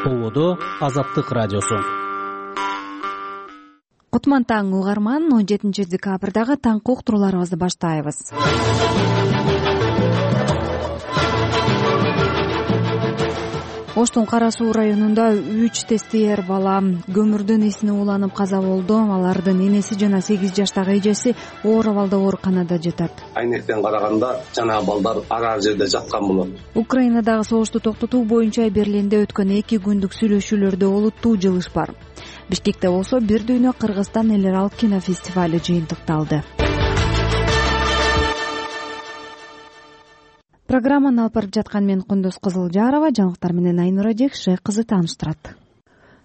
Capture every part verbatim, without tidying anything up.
Тоңодо Азаттык радиосу. Кутман таң угарман, он жетинчи декабрдагы таңкы уктурууларыбызды баштайбыз. Оштун Кара Суу районунда үч тестиер бала көмүрдүн исине уланып каза болду. Алардын энеси жана сегиз жаштагы эжеси оор абалда ооруканада жатат. Айнектен караганда жана балдар ар-ар жерде жаткан болот. Украинадагы согушту токтотуу боюнча Берлинде өткөн эки күндүк сүйлөшүүлөрдө олуттуу жылыш бар. Бишкекте болсо бир дүйнө Кыргызстан эл аралык кинофестивали жыйынтыкталды. Программаны алып барып жаткан мен Кундуз Кызылжарова, жаңылыктар менен Айнура Жекше кызы тааныштырат.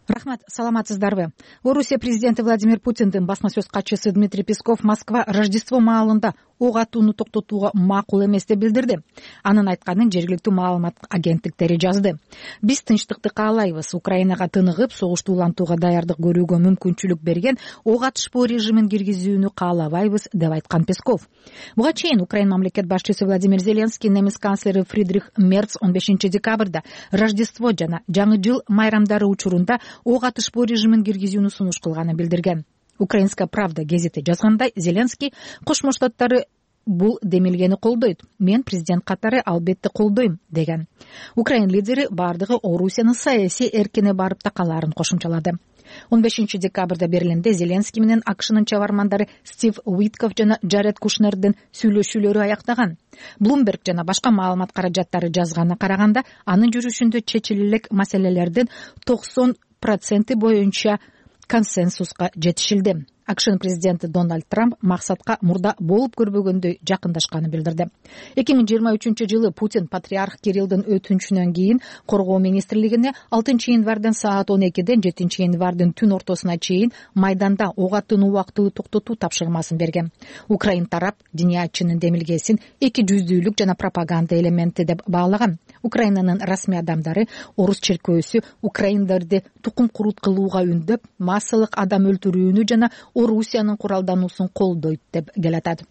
Рахмат, саламатсыздарбы? Орусия президенти Владимир Путиндин басма сөз катчысы Дмитрий Песков Москва Рождество маалында ок атууну токтотууга макул эмес деп билдирди. Анын айтканын жергиликтүү маалымат агенттиктери жазды. Биз тынчтыкты каалайбыз. Украинага тыныгып, согушту улантууга даярдык көрүүгө мүмкүнчүлүк берген ок атышпоо режимин киргизүүнү каалабайбыз деп айткан Песков. Буга чейин Украина мамлекет башчысы Владимир Зеленский немис канцлери Фридрих Мерц он бешинчи декабрда Рождество жана жаңы жыл майрамдары учурунда ок атышпоо режимин киргизүүнү сунуш кылганын билдирген. Украинская правда гезити жазгандай, Зеленский Кошмо Штаттары бул демилгени колдойт. Мен президент катары албетте колдойм деген. Украин лидери бардыгы Орусиянын саясий эркине барып такалаарын кошумчалады. он бешинчи декабрда Берлинде Зеленский менен АКШнын чабармандары Стив Уитков жана Джаред Кушнердин сүйлөшүүлөрү аяктаган. Bloomberg жана башка маалымат каражаттары жазганына караганда, анын жүрүшүндө чечиле элек маселелердин токсон проценти боюнча консенсуска жетишилди. АКШнын президенти Дональд Трамп максатка мурда болуп көрбөгөндөй жакындашканын билдирди. эки миң жыйырма үчүнчү жылы Путин патриарх Кириллдин өтүнүчүнөн кийин Коргоо министрлигине алтынчы январдан саат он экиден жетинчи январдын түн ортосуна чейин майданда ок атууну убактылуу токтотуу тапшырмасын берген. Украин тарап диниятчынын демилгесин эки жүздүүлүк жана пропаганда элементи деп баалаган. Украинанын расмий адамдары орус черкөөсү украиндарды тукум курут кылууга үндөп, массалык адам өлтүрүүнү жана Орусиянын куралдануусун колдойт деп келатат.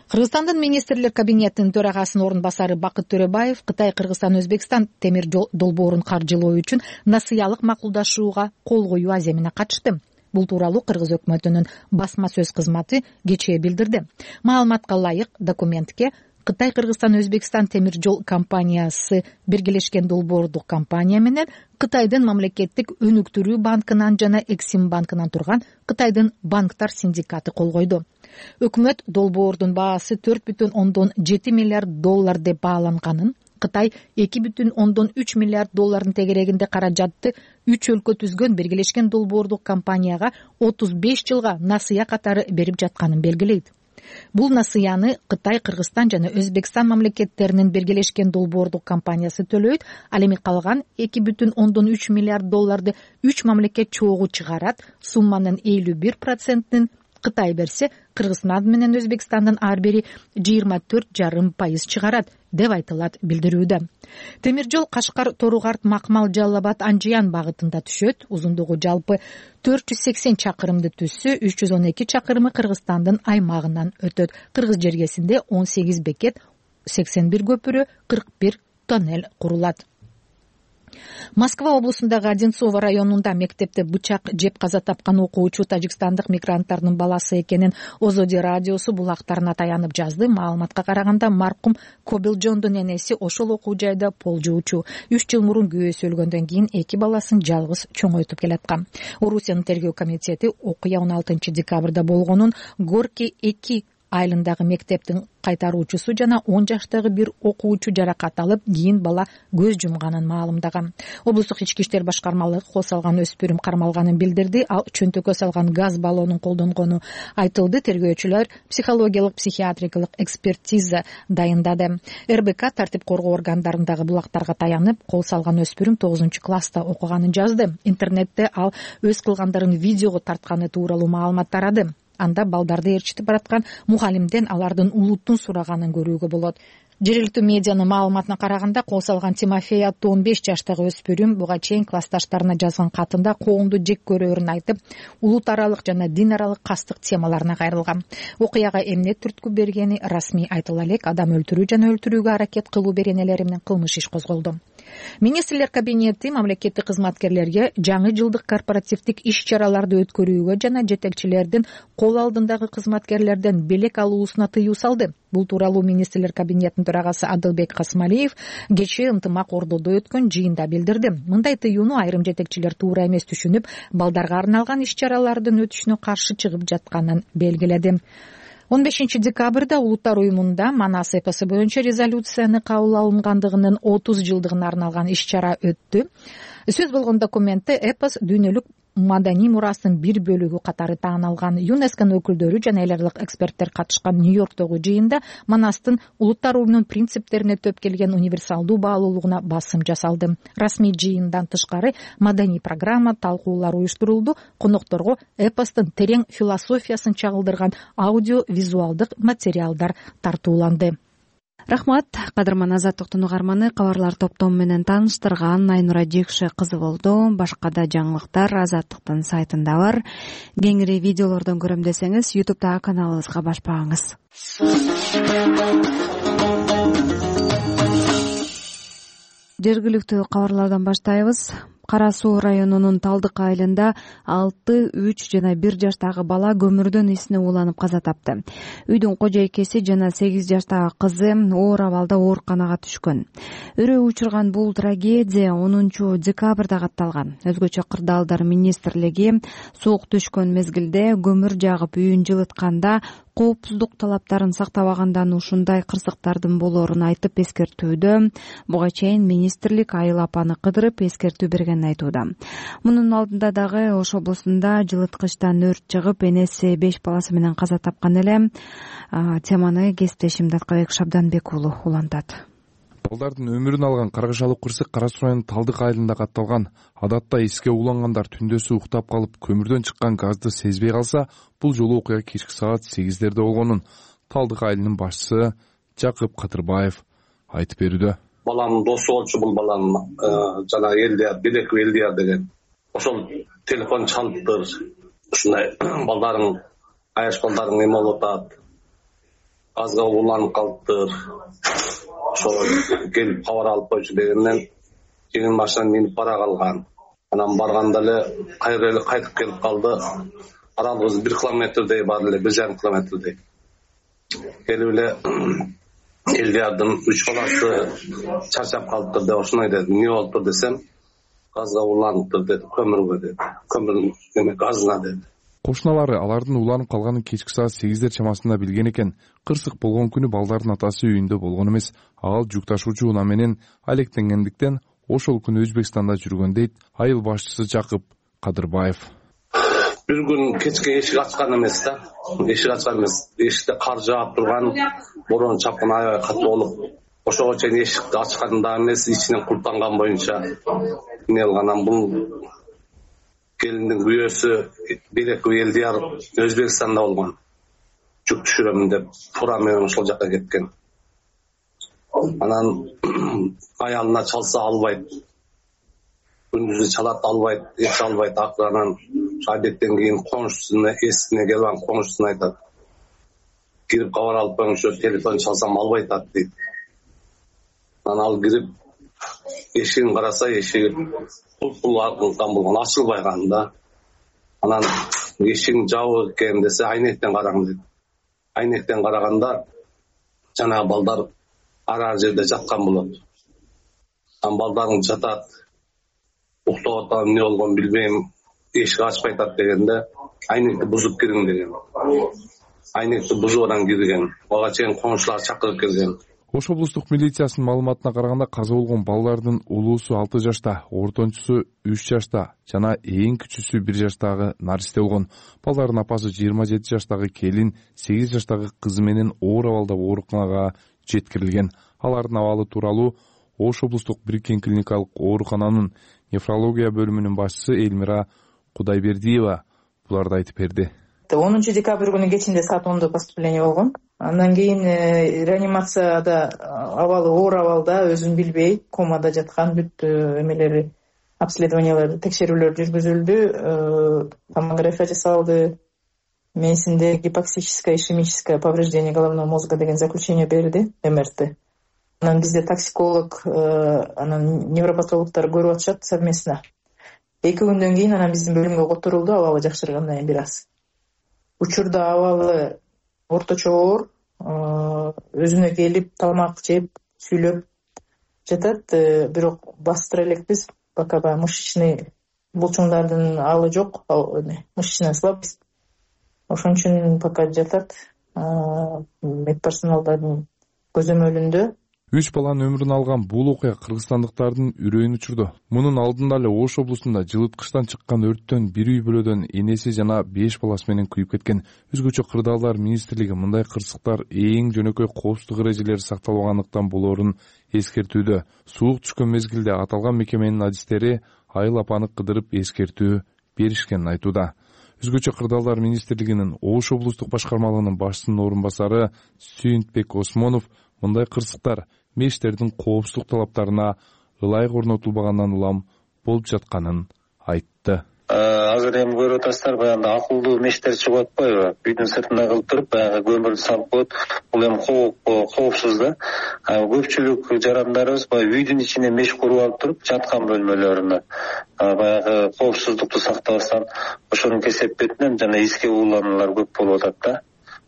Кыргызстандын министрлер кабинетинин төрагасынын орун басары Бакыт Төрөбаев Кытай, Кыргызстан, Өзбекстан темир жол долбоорун каржылоо үчүн насыялык макулдашууга кол коюу аземине катышты. Бул тууралуу Кыргыз өкмөтүнүн басма сөз кызматы кечээ билдирди. Маалыматка ылайык, документке Кытай, Кыргызстан, Өзбекстан темир жол компаниясы биргелешкен долбоордук компания менен Кытайдын мамлекеттик өнүктүрүү банкынан жана Эксим банкынан турган Кытайдын банктар синдикаты кол койду. Өкмөт долбоордун баасы төрт бүтүн ондон жети миллиард доллар деп бааланганын, Кытай эки бүтүн ондон үч миллиард доллардын тегерегинде каражатты үч өлкө түзгөн биргелешкен долбоордук компанияга отуз беш жылга насыя катары берип жатканын белгилейт. Бул насыяны Кытай, Кыргызстан жана Өзбекстан мамлекеттеринин биргелешкен долбоордук компаниясы төлөйт. Ал эми калган эки бүтүн ондон үч миллиард долларды үч мамлекет чогуу чыгарат. Сумманын элүү бир процентин Кытай берсе, Кыргызстан менен Өзбекстандын ар бири жыйырма төрт жарым пайыз чыгарат деп айтылат билдирүүдө. Темир жол Кашкар, Торугарт, Макмал, Жалал Абад, Анжиян багытында түшөт. Узундугу жалпы төрт жүз сексен чакырымды түзсө, үч жүз он эки чакырымы Кыргызстандын аймагынан өтөт. Кыргыз жергесинде он сегиз бекет, сексен бир көпүрө, кырк бир тоннель курулат. Москва облусундагы Одинцово районунда мектепте бычак жеп каза тапкан окуучу тажикстандык мигранттардын баласы экенин Озоди радиосу булактарына таянып жазды. Маалыматка караганда, маркум Кобилжондун энеси ошол окуу жайда пол жуучу. үч жыл мурун күйөөсү өлгөндөн кийин эки баласын жалгыз чоңойтуп келаткан. Орусиянын тергөө комитети окуя он алтынчы декабрда болгонун, Горки эки айылындагы мектептин кайтаруучусу жана он жаштагы бир окуучу жаракат алып, кийин бала көз жумганын маалымдаган. Облустук ички иштер башкармалыгы кол салган өспүрүм кармалганын билдирди. Ал чөнтөккө салган газ баллонун колдонгону айтылды. Тергөөчүлөр психологиялык психиатрикалык экспертиза дайындады. эр бэ ка тартип коргоо органдарындагы булактарга таянып, кол салган өспүрүм тогузунчу класста окуганын жазды. Интернетте ал өз кылгандарын видеого тартканы тууралуу маалымат тарады. Анда балдарды ээрчитип бараткан мугалимден алардын улуттун сураганын көрүүгө болот. Жергиликтүү медианын маалыматына караганда, кол салган Тимофей аттуу он беш жаштагы өспүрүм буга чейин классташтарына жазган катында коомду жек көрөөрүн айтып, улут аралык жана дин аралык кастык темаларына кайрылган. Окуяга эмне түрткү бергени расмий айтыла элек, адам өлтүрүү жана өлтүрүүгө аракет кылуу беренелери менен кылмыш иш козголду. Министрлер кабинети мамлекеттик кызматкерлерге жаңы жылдык корпоративдик иш-чараларды өткөрүүгө жана жетекчилердин кол алдындагы кызматкерлерден белек алуусуна тыюу салды. Бул тууралуу министрлер кабинетинин төрагасы Адылбек Касмалиев кечээ ынтымак ордодо өткөн жыйында билдирди. Мындай тыюуну айрым жетекчилер туура эмес түшүнүп, балдарга арналган иш-чаралардын өтүшүнө каршы чыгып жатканын белгиледи. он бешинчи декабрда Улуттар уюмунда Манас эпосу боюнча резолюцияны кабыл алынгандыгынын отуз жылдыгына арналган иш-чара өттү. Сөз болгон документте эпос дүйнөлүк маданий мурастын бир бөлүгү катары тааналган. ЮНЕСКОнун өкүлдөрү жана эл аралык эксперттер катышкан Нью-Йорктогу жыйында Манастын Улуттар уюмунун принциптерине төп келген универсалдуу баалуулугуна басым жасалды. Расмий жыйындан тышкары маданий программа, талкуулар уюштурулду. Конокторго эпостун терең философиясын чагылдырган аудио-визуалдык материалдар тартууланды. Рахмат, кадырман Азаттыктын угарманы, кабарлар топтому менен тааныштырган Айнура Жекше кызы болду. Башка да жаңылыктар Азаттыктын сайтында бар. Кеңири видеолордон көрөм десеңиз, ютубтагы каналыбызга баш багыңыз. Жергиликтүү кабарлардан баштайбыз. Кара Суу районунун Талдык айылында алты, үч жана бир жаштагы бала көмүрдөн исине ууланып каза тапты. Үйдүн кожойкеси жана сегиз жаштагы кызы оор абалда ооруканага түшкөн. Өрөө учурган бул трагедия онунчу декабрда катталган. Өзгөчө кырдаалдар министрлиги суук түшкөн мезгилде көмүр жагып үйүн жылытканда коопсуздук талаптарын сактабагандан ушундай кырсыктардын болоорун айтып эскертүүдө. Буга чейин министрлик айыл апаны кыдырып эскертүү бергенин айтууда. Мунун алдында дагы Ош облусунда жылыткычтан өрт чыгып, энеси беш баласы менен каза тапкан эле. Теманы кесиптешим Даткабек Шабданбек уулу улантат. Балдардын өмүрүн алган каргышалык кырсык Кара Суу районунун Талдык айылында катталган. Адатта эске улангандар түндөсү уктап калып, көмүрдөн чыккан газды сезбей калса, бул жолу окуя кечки саат сегиздерде болгонун Талдык айылынын башчысы Жакып Кадырбаев айтып берүүдө. Баламдын досу болчу бул баланын жана Элдияр, Билеков Элдияр деген. Ошол телефон чалыптыр. Ушундай балдарың, аяш балдарың эме болуп атат. Газга уланып калыптыр. Ошо келип кабар алып койчу дегенден кийин машинадан минип бара калган. Анан барганда эле кайра эле кайтып келип калды. Аралыгыбыз бир километрдей бар эле, бир жарым километрдей. Келип эле Элдиярдын үч баласы чарчап калыптыр деп ошондой деди. Эмне болуптур десем, газга уланыптыр деди, көмүргө деди. Көмүрдүн эме газына деди. Кошуналары алардын уланып калганын кечки саат сегиздер чамасында билген экен. Кырсык болгон күнү балдардын атасы үйүндө болгон эмес. Ал жүк ташуучу унаа менен алектенгендиктен ошол күнү Өзбекстанда жүргөн дейт айыл башчысы Жакып Кадырбаев. Бир күн кечке эшик ачкан эмес да. Эшик ачкан эмес. Эшикте кар жаап турган, борон чапкан аябай катуу болуп, ошого чейин эшикти ачкан да эмес, ичинен култанган боюнча эмне кылган. Бул келиндин күйөөсү Билеков Элдияр Өзбекстанда болгон. Жүк түшүрөмүн деп фура менен ошол жака кеткен. Анан аялына чалса албайт. Күндүзү чалат, албайт, эч албайт. Акырынан адеттен кийин коңшусуна, эсине келип алган коңшусуна айтат. Кирип кабар алып коюңчу, телефон чалсам албайт атат дейт. Анан ал кирип эшигин караса, эшиги кулпул аркылган болгон, ачылбай калган да. Анан эшигин жабык экен десе, айнектен караган дейт. Айнектен караганда жанагы балдар ар жерде жаткан болот. Анан балдарың жатат, уктап атат, эмне болгон билбейм, эшик ачпай атат дегенде, айнекти бузуп кириң деген. Айнекти бузуп анан кирген. Ага чейин коңшулар чакырып келген. Ош облустук милициясынын маалыматына караганда, каза болгон балдардын улуусу алты жашта, ортончусу үч жашта жана эң кичүүсү бир жаштагы наристе болгон. Балдардын апасы жыйырма жети жаштагы келин, сегиз жаштагы кызы менен оор абалда ооруканага жеткирилген. Алардын абалы тууралуу Ош облустук бириккен клиникалык оорукананын нефрология бөлүмүнүн башчысы Элмира Кудайбердиева буларды айтып берди. онунчу декабрь күнү кечинде саат ондо поступление болгон. Андан кийин реанимацияда абалы оор абалда, өзүн билбей комада жаткан, бүт эмелери, обследованиялар, текшерүүлөр жүргүзүлдү, томография жасалды. Менсинде гипоксическое ишемическое повреждение головного мозга деген заключение берди, эм эр тэ. Анан бизде токсиколог, анан невропатологдор көрүп атышат совместно. Эки күндөн кийин анан биздин бөлүмгө которулду, абалы жакшыргандан кийин бир аз. Учурда абалы орточо оор, өзүнө келип, тамак жеп, сүйлөп жатат, бирок бастыра элекпиз, пока баягы мышечный булчуңдардын алы жок, мышечная слабость. Ошон үчүн пока жатат, медперсоналдардын көзөмөлүндө. Үч баланын өмүрүн алган бул окуя кыргызстандыктардын үрөйүн учурду. Мунун алдында эле Ош облусунда жылыткычтан чыккан өрттөн бир үй бүлөдөн энеси жана беш баласы менен күйүп кеткен. Өзгөчө Кырдаалдар министрлиги мындай кырсыктар эң жөнөкөй коопсуздук эрежелери сакталбагандыктан болоорун эскертүүдө. Суук түшкөн мезгилде аталган мекеменин адистери Айыл апаны кыдырып эскертүү беришкенин айтууда. Өзгөчө Кырдаалдар министрлигинин Ош облустук башкармалыгынын башчысынын орун басары Сүйүнтбек Осмонов мындай кырсыктар мештердин коопсуздук талаптарына ылайык орнотулбагандан улам болуп жатканын айтты. Азыр эми көрүп атасыздар, баягы акылдуу мештер чыгып атпайбы? Үйдүн сыртына кылып туруп, баягы көмүрдү салып коет. Бул эми коопсуз да. Көпчүлүк жарандарыбыз баягы үйдүн ичине меш куруп алып туруп, жаткан бөлмөлөрүнө баягы коопсуздукту сактабастан ошонун кесепетинен жана эске уулануулар көп болуп атат да.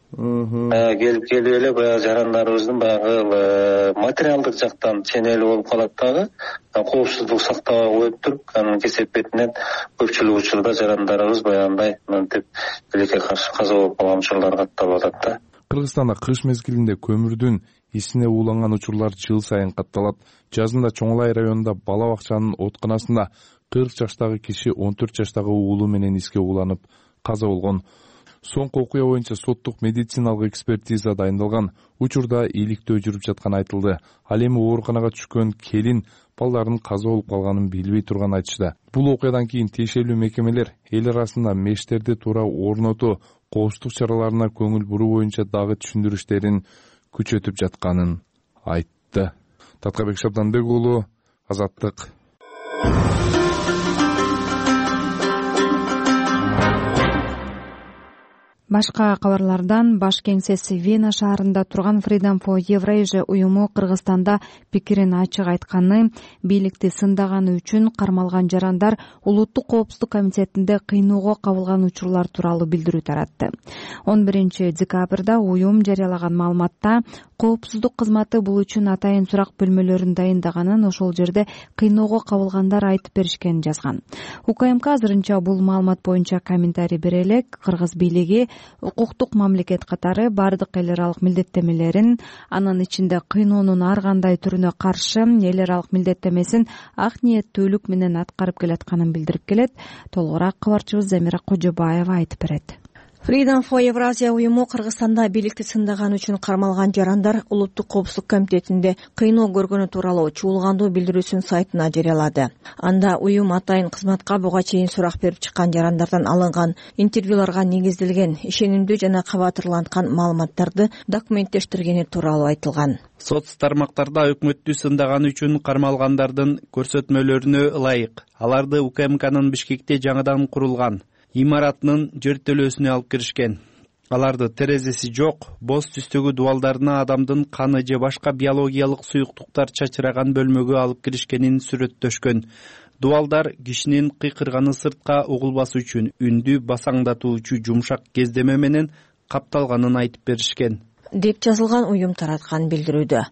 Келип келип эле баягы жарандарыбыздын баягы материалдык жактан ченели болуп калат дагы, коопсуздук сактабай коюп туруп, анын кесепетинен көпчүлүк учурда жарандарыбыз баягындай мынтип тилекке каршы каза болуп калган учурлар катталып атат да. Кыргызстанда кыш мезгилинде көмүрдүн исине ууланган учурлар жыл сайын катталат. Жазында Чоңлай районунда бала бакчанын отканасында кырк жаштагы киши он төрт жаштагы уулу менен иске ууланып каза болгон. Соңку окуя боюнча соттук медициналык экспертиза дайындалган. Учурда ийгиликтөө жүрүп жатканы айтылды. Ал эми ооруканага түшкөн келин балдардын каза болуп калганын билбей турганын айтышты. Бул окуядан кийин тиешелүү мекемелер эл арасында мештерди туура орнотуу, коопсуздук чараларына көңүл буруу боюнча дагы түшүндүрүштөрүн күчөтүп жатканын айтты. Таткабек Шабданбек уулу, Азаттык. Башка кабарлардан баш кеңсеси Вена шаарында турган Freedom for Eurasia уюму Кыргызстанда пикирин ачык айтканы, бийликти сындаганы үчүн кармалган жарандар улуттук коопсуздук комитетинде кыйноого кабылган учурлар тууралуу билдирүү таратты. он биринчи декабрда уюм жарыялаган маалыматта коопсуздук кызматы бул үчүн атайын сурак бөлмөлөрүн дайындаганын, ошол жерде кыйноого кабылгандар айтып беришкенин жазган. У К М К азырынча бул маалымат боюнча комментарий бере элек. Кыргыз бийлиги укуктук мамлекет катары бардык эл аралык милдеттемелерин, анын ичинде кыйноонун ар кандай түрүнө каршы эл аралык милдеттемесин ак ниеттүүлүк менен аткарып келатканын билдирип келет. Толугураак кабарчыбыз Замира Кожобаева айтып берет. Freedom for Eurasia уюму Кыргызстанда бийликти сындаганы үчүн кармалган жарандар улуттук коопсуздук комитетинде кыйноо көргөнү тууралуу чуулгандуу билдирүүсүн сайтына жарыялады. Анда уюм атайын кызматка буга чейин сурак берип чыккан жарандардан алынган интервьюларга негизделген ишенимдүү жана кабатырланткан маалыматтарды документтештиргени тууралуу айтылган. Соц тармактарда өкмөттү сындаганы үчүн кармалгандардын көрсөтмөлөрүнө ылайык аларды У К М Кнын Бишкекте жаңыдан курулган имаратынын жертөлөөсүнө алып киришкен. Аларды терезеси жок, боз түстөгү дубалдарына адамдын каны же башка биологиялык суюктуктар чачыраган бөлмөгө алып киришкенин сүрөттөшкөн. Дубалдар кишинин кыйкырганы сыртка угулбасы үчүн үндү басаңдатуучу жумшак кездеме менен капталганын айтып беришкен, деп жазылган уюм тараткан билдирүүдө.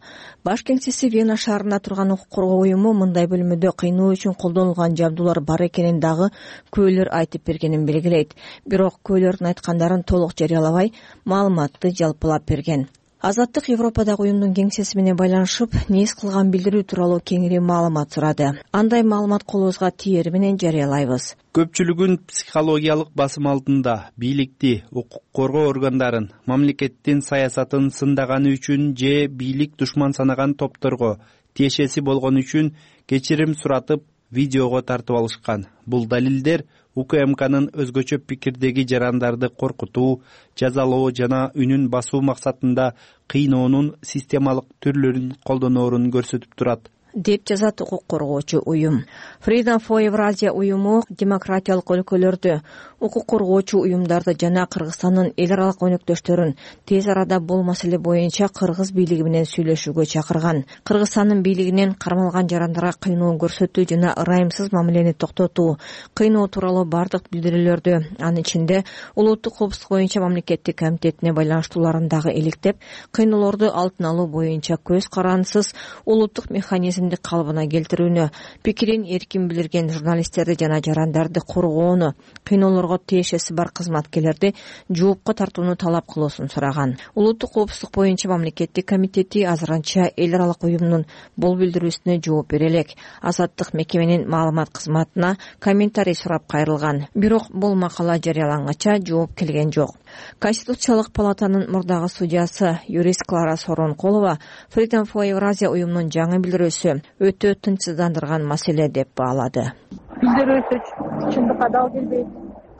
Баш кеңсеси Вена шаарында турган укук коргоо уюму мындай бөлмөдө кыйноо үчүн колдонулган жабдуулар бар экенин дагы күбөлөр айтып бергенин белгилейт. Бирок күбөлөрдүн айткандарын толук жарыялабай, маалыматты жалпылап берген. Азаттык Европадагы уюмдун кеңсеси менен байланышып, нес кылган билдирүү тууралуу кеңири маалымат сурады. Андай маалымат колубузга тиери менен жарыялайбыз. Көпчүлүгүн психологиялык басым алдында бийликти, укук коргоо органдарын, мамлекеттин саясатын сындаганы үчүн же бийлик душман санаган топторго тиешеси болгон үчүн кечирим суратып, видеого тартып алышкан. Бул далилдер УКМКнын өзгөчө пикирдеги жарандарды коркутуу, жазалоо жана үнүн басуу максатында кыйноонун системалык түрлөрүн колдоноорун көрсөтүп турат, деп жазат укук коргоочу уюм. Freedom for Eurasia уюму демократиялык өлкөлөрдү, укук коргоочу уюмдарды жана Кыргызстандын эл аралык өнөктөштөрүн тез арада бул маселе боюнча кыргыз бийлиги менен сүйлөшүүгө чакырган. Кыргызстандын бийлигинен кармалган жарандарга кыйноо көрсөтүү жана ырайымсыз мамилени токтотуу, кыйноо тууралуу бардык билдирүүлөрдү, анын ичинде улуттук коопсуздук боюнча мамлекеттик комитетине байланыштууларын дагы иликтеп, кыйноолорду алдын алуу боюнча көз карандысыз улуттук механизм калыбына келтирүүнү, пикирин эркин билдирген журналисттерди жана жарандарды коргоону, кыйноолорго тиешеси бар кызматкерлерди жоопко тартууну талап кылуусун сураган. Улуттук коопсуздук боюнча мамлекеттик комитети азырынча эл аралык уюмдун бул билдирүүсүнө жооп бере элек. Азаттык мекеменин маалымат кызматына комментарий сурап кайрылган. Бирок бул макала жарыялангача жооп келген жок. Конституциялык палатанын мурдагы судьясы юрист Клара Соронколова Freedom for Eurasia уюмунун жаңы билдирүүсү өтө тынчсыздандырган маселе деп баалады. Билдирүүсү чындыкка дал келбейт,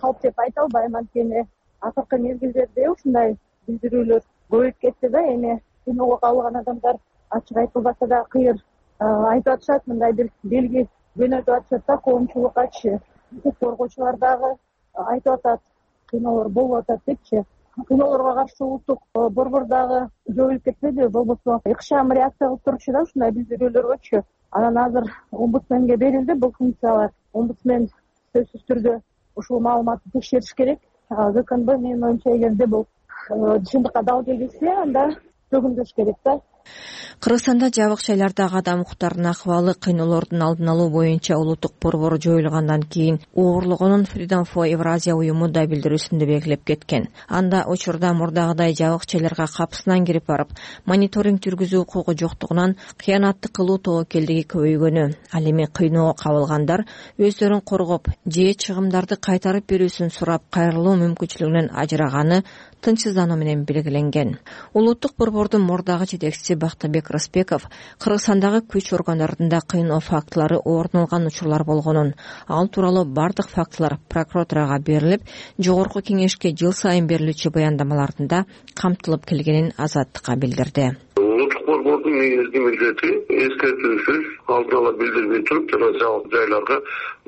калп деп айта албайм, анткени акыркы мезгилдерде ушундай билдирүүлөр көбөйүп кетти да, эми кыйноого кабылган адамдар ачык айтылбаса да кыйыр айтып атышат, мындай бир белги жөнөтүп атышат да, коомчулукка ачы. Укук коргоочулар дагы айтып атат, кыйноолор болуп атат депчи. Кыйноолорго каршы улуттук борбор дагы жоюлуп кетпеди, болбосо ыкчам реакция кылып турчу да ушундай билдирүүлөргөчү. Анан азыр омбудсменге берилди бул функциялар. Омбудсмен сөзсүз түрдө ушул маалыматты текшериш керек. ГКНБ менин оюмча эгерде бул чындыкка дал келбесе, анда төгүндөш керек да. Кыргызстанда жабык жайлардагы адам укуктарынын акыбалы кыйноолордун алдын алуу боюнча улуттук борбор жоюлгандан кийин оорулаганын Freedom for Eurasia уюму да билдирүүсүндө белгилеп кеткен. Анда учурда мурдагыдай жабык жайларга капысынан кирип барып, мониторинг жүргүзүү укугу жоктугунан кыянаттык кылуу тобокелдиги көбөйгөнү, ал эми кыйноого кабылгандар өздөрүн коргоп же чыгымдарды кайтарып берүүсүн сурап кайрылуу мүмкүнчүлүгүнөн ажыраганы тынчсыздануу менен белгиленген. Улуттук борбордун мурдагы жетекчиси Бактыбек Рыспеков Кыргызстандагы күч органдарында кыйноо фактылары орун алган учурлар болгонун, ал тууралуу бардык фактылар прокуратурага берилип, жогорку кеңешке жыл сайын берилүүчү баяндамаларында камтылып келгенин Азаттыкка билдирди. Улуттук борбордун негизги милдети эскертүүсүз алдын ала билдирбей туруп жана жабык жайларга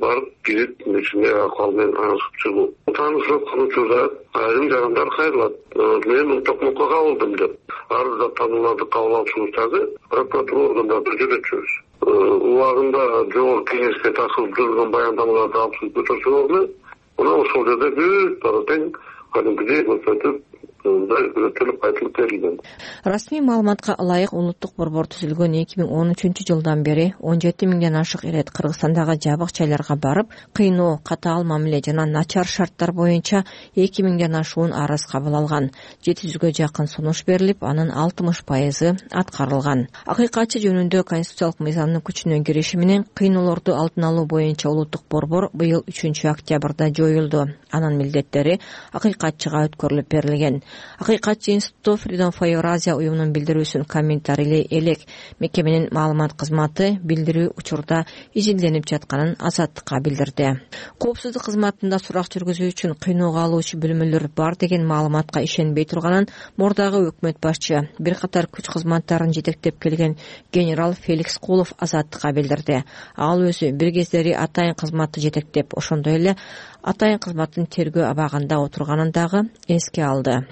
барып кирип ичинде акыбал менен танышып чыгуу. Таанышып учурда айрым жарандар кайрылат. Мен Ултокмокко кабылдым деп арызда таанууларды кабыл алышыбыздагы прокуратура органдарында жүрөтчүбүз. Убагында жогорку кеңешке ташылып жүргөн баяндамаларды алып чыгып өтөсөңөрмү, мына ошол жерде бүт бара тең кадимкидей көрсөтүп өтөлүп айтылып берилген. Расмий маалыматка ылайык улуттук борбор түзүлгөн эки миң он үчүнчү жылдан бери он жети миңден ашык ирет Кыргызстандагы жабык жайларга барып, кыйноо, катаал мамиле жана начар шарттар боюнча эки миңден ашуун арыз кабыл алган. жети жүзгө жакын сунуш берилип, анын алтымыш пайызы аткарылган. Акыйкатчы жөнүндө конституциялык мыйзамдын күчүнө кириши менен кыйноолорду алдын алуу боюнча улуттук борбор быйыл үчүнчү октябрда жоюлду. Анын милдеттери акыйкатчыга өткөрүлүп берилген. Акыйкатчы институту Freedom for Eurasia уюмунун билдирүүсүн комментарийлей элек. Мекеменин маалымат кызматы билдирүү учурда изилденип жатканын Азаттыкка билдирди. Коопсуздук кызматында сурак жүргүзүү үчүн кыйноого алуучу бөлмөлөр бар деген маалыматка ишенбей турганын мурдагы өкмөт башчы бир катар күч кызматтарын жетектеп келген генерал Феликс Кулов Азаттыкка билдирди. Ал өзү бир кездери атайын кызматты жетектеп, ошондой эле атайын кызматтын тергөө абагында отурганын дагы эске алды.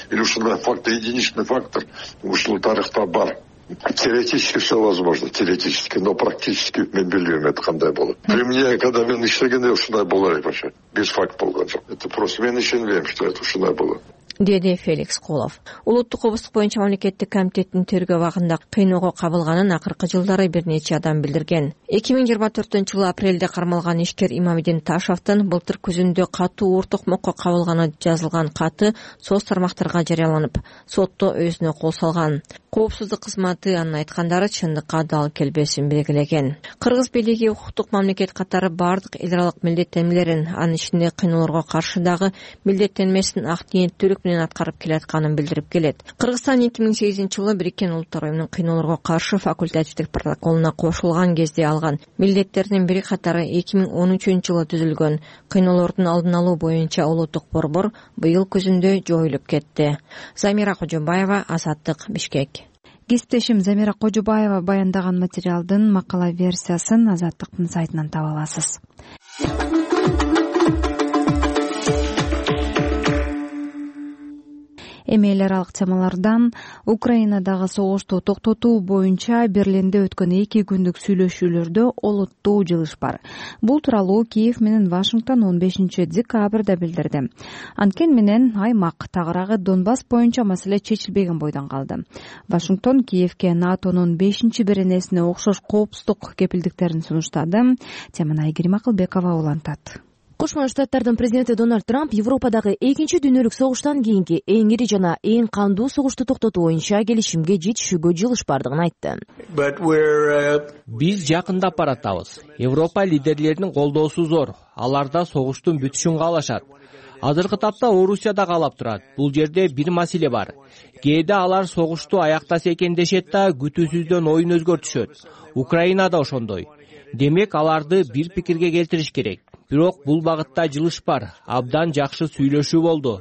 Или ушундай фактор, единичный фактор ушул тарыхта бар. Теоретически все возможно, теоретически, но практически мен билбейм это кандай болот. При мне, когда мен иштегенде ушундай болор вообще, без факт болгон жок. Это просто мен ишенбейм, что это ушундай болот. Деди Феликс Кулов. Улуттук коопсуздук боюнча мамлекеттик комитеттин тергөө абагында кыйноого кабылганын акыркы жылдары бир нече адам билдирген. эки миң жыйырма төртүнчү жылы апрелде кармалган ишкер Имамидин Ташовдун былтыр күзүндө катуу Ултокмокко кабылганы жазылган каты соц тармактарга жарыяланып, сотто өзүнө кол салган. Коопсуздук кызматы анын айткандары чындыкка дал келбесин белгилеген. Кыргыз бийлиги укуктук мамлекет катары бардык эл аралык милдеттенмелерин, анын ичинде кыйноолорго каршы дагы милдеттенмесин ак ниеттүүлүк менен аткарып келатканын билдирип келет. Кыргызстан эки миң сегизинчи жылы Бириккен Улуттар уюмунун кыйноолорго каршы факультативдик протоколуна кошулган кезде алган милдеттердин бири катары эки миң он үчүнчү жылы түзүлгөн кыйноолордун алдын алуу боюнча улуттук борбор быйыл күзүндө жоюлуп кетти. Замира Кожобаева, Азаттык, Бишкек. Кесиптешим Замира Кожобаева баяндаган материалдын макала версиясын Азаттыктын сайтынан таба аласыз. Эми эл аралык темалардан Украинадагы согушту токтотуу боюнча Берлинде өткөн эки күндүк сүйлөшүүлөрдө олуттуу жылыш бар. Бул тууралуу Киев менен Вашингтон он бешинчи декабрда билдирди. Анткени менен аймак тагыраагы Донбасс боюнча маселе чечилбеген бойдон калды. Вашингтон Киевке НАТОнун бешинчи беренесине окшош коопсуздук кепилдиктерин сунуштады. Теманы Айгерим Акылбекова улантат. Кошмо Штаттардын президенти Дональд Трамп Европадагы экинчи дүйнөлүк согуштан кийинки эң ири жана эң кандуу согушту токтотуу боюнча келишимге жетишүүгө жылыш бардыгын айтты. Биз жакындап баратабыз. Европа лидерлеринин колдоосу зор. Аларда согуштун бүтүшүн каалашат. Азыркы тапта Орусия да каалап турат. Бул жерде бир маселе бар. Кээде алар согушту аяктаса экен дешет да күтүүсүздөн оюн өзгөртүшөт. Украина да ошондой. Демек аларды бир пикирге келтириш керек. Бирок бул багытта жылыш бар. Абдан жакшы сүйлөшүү болду.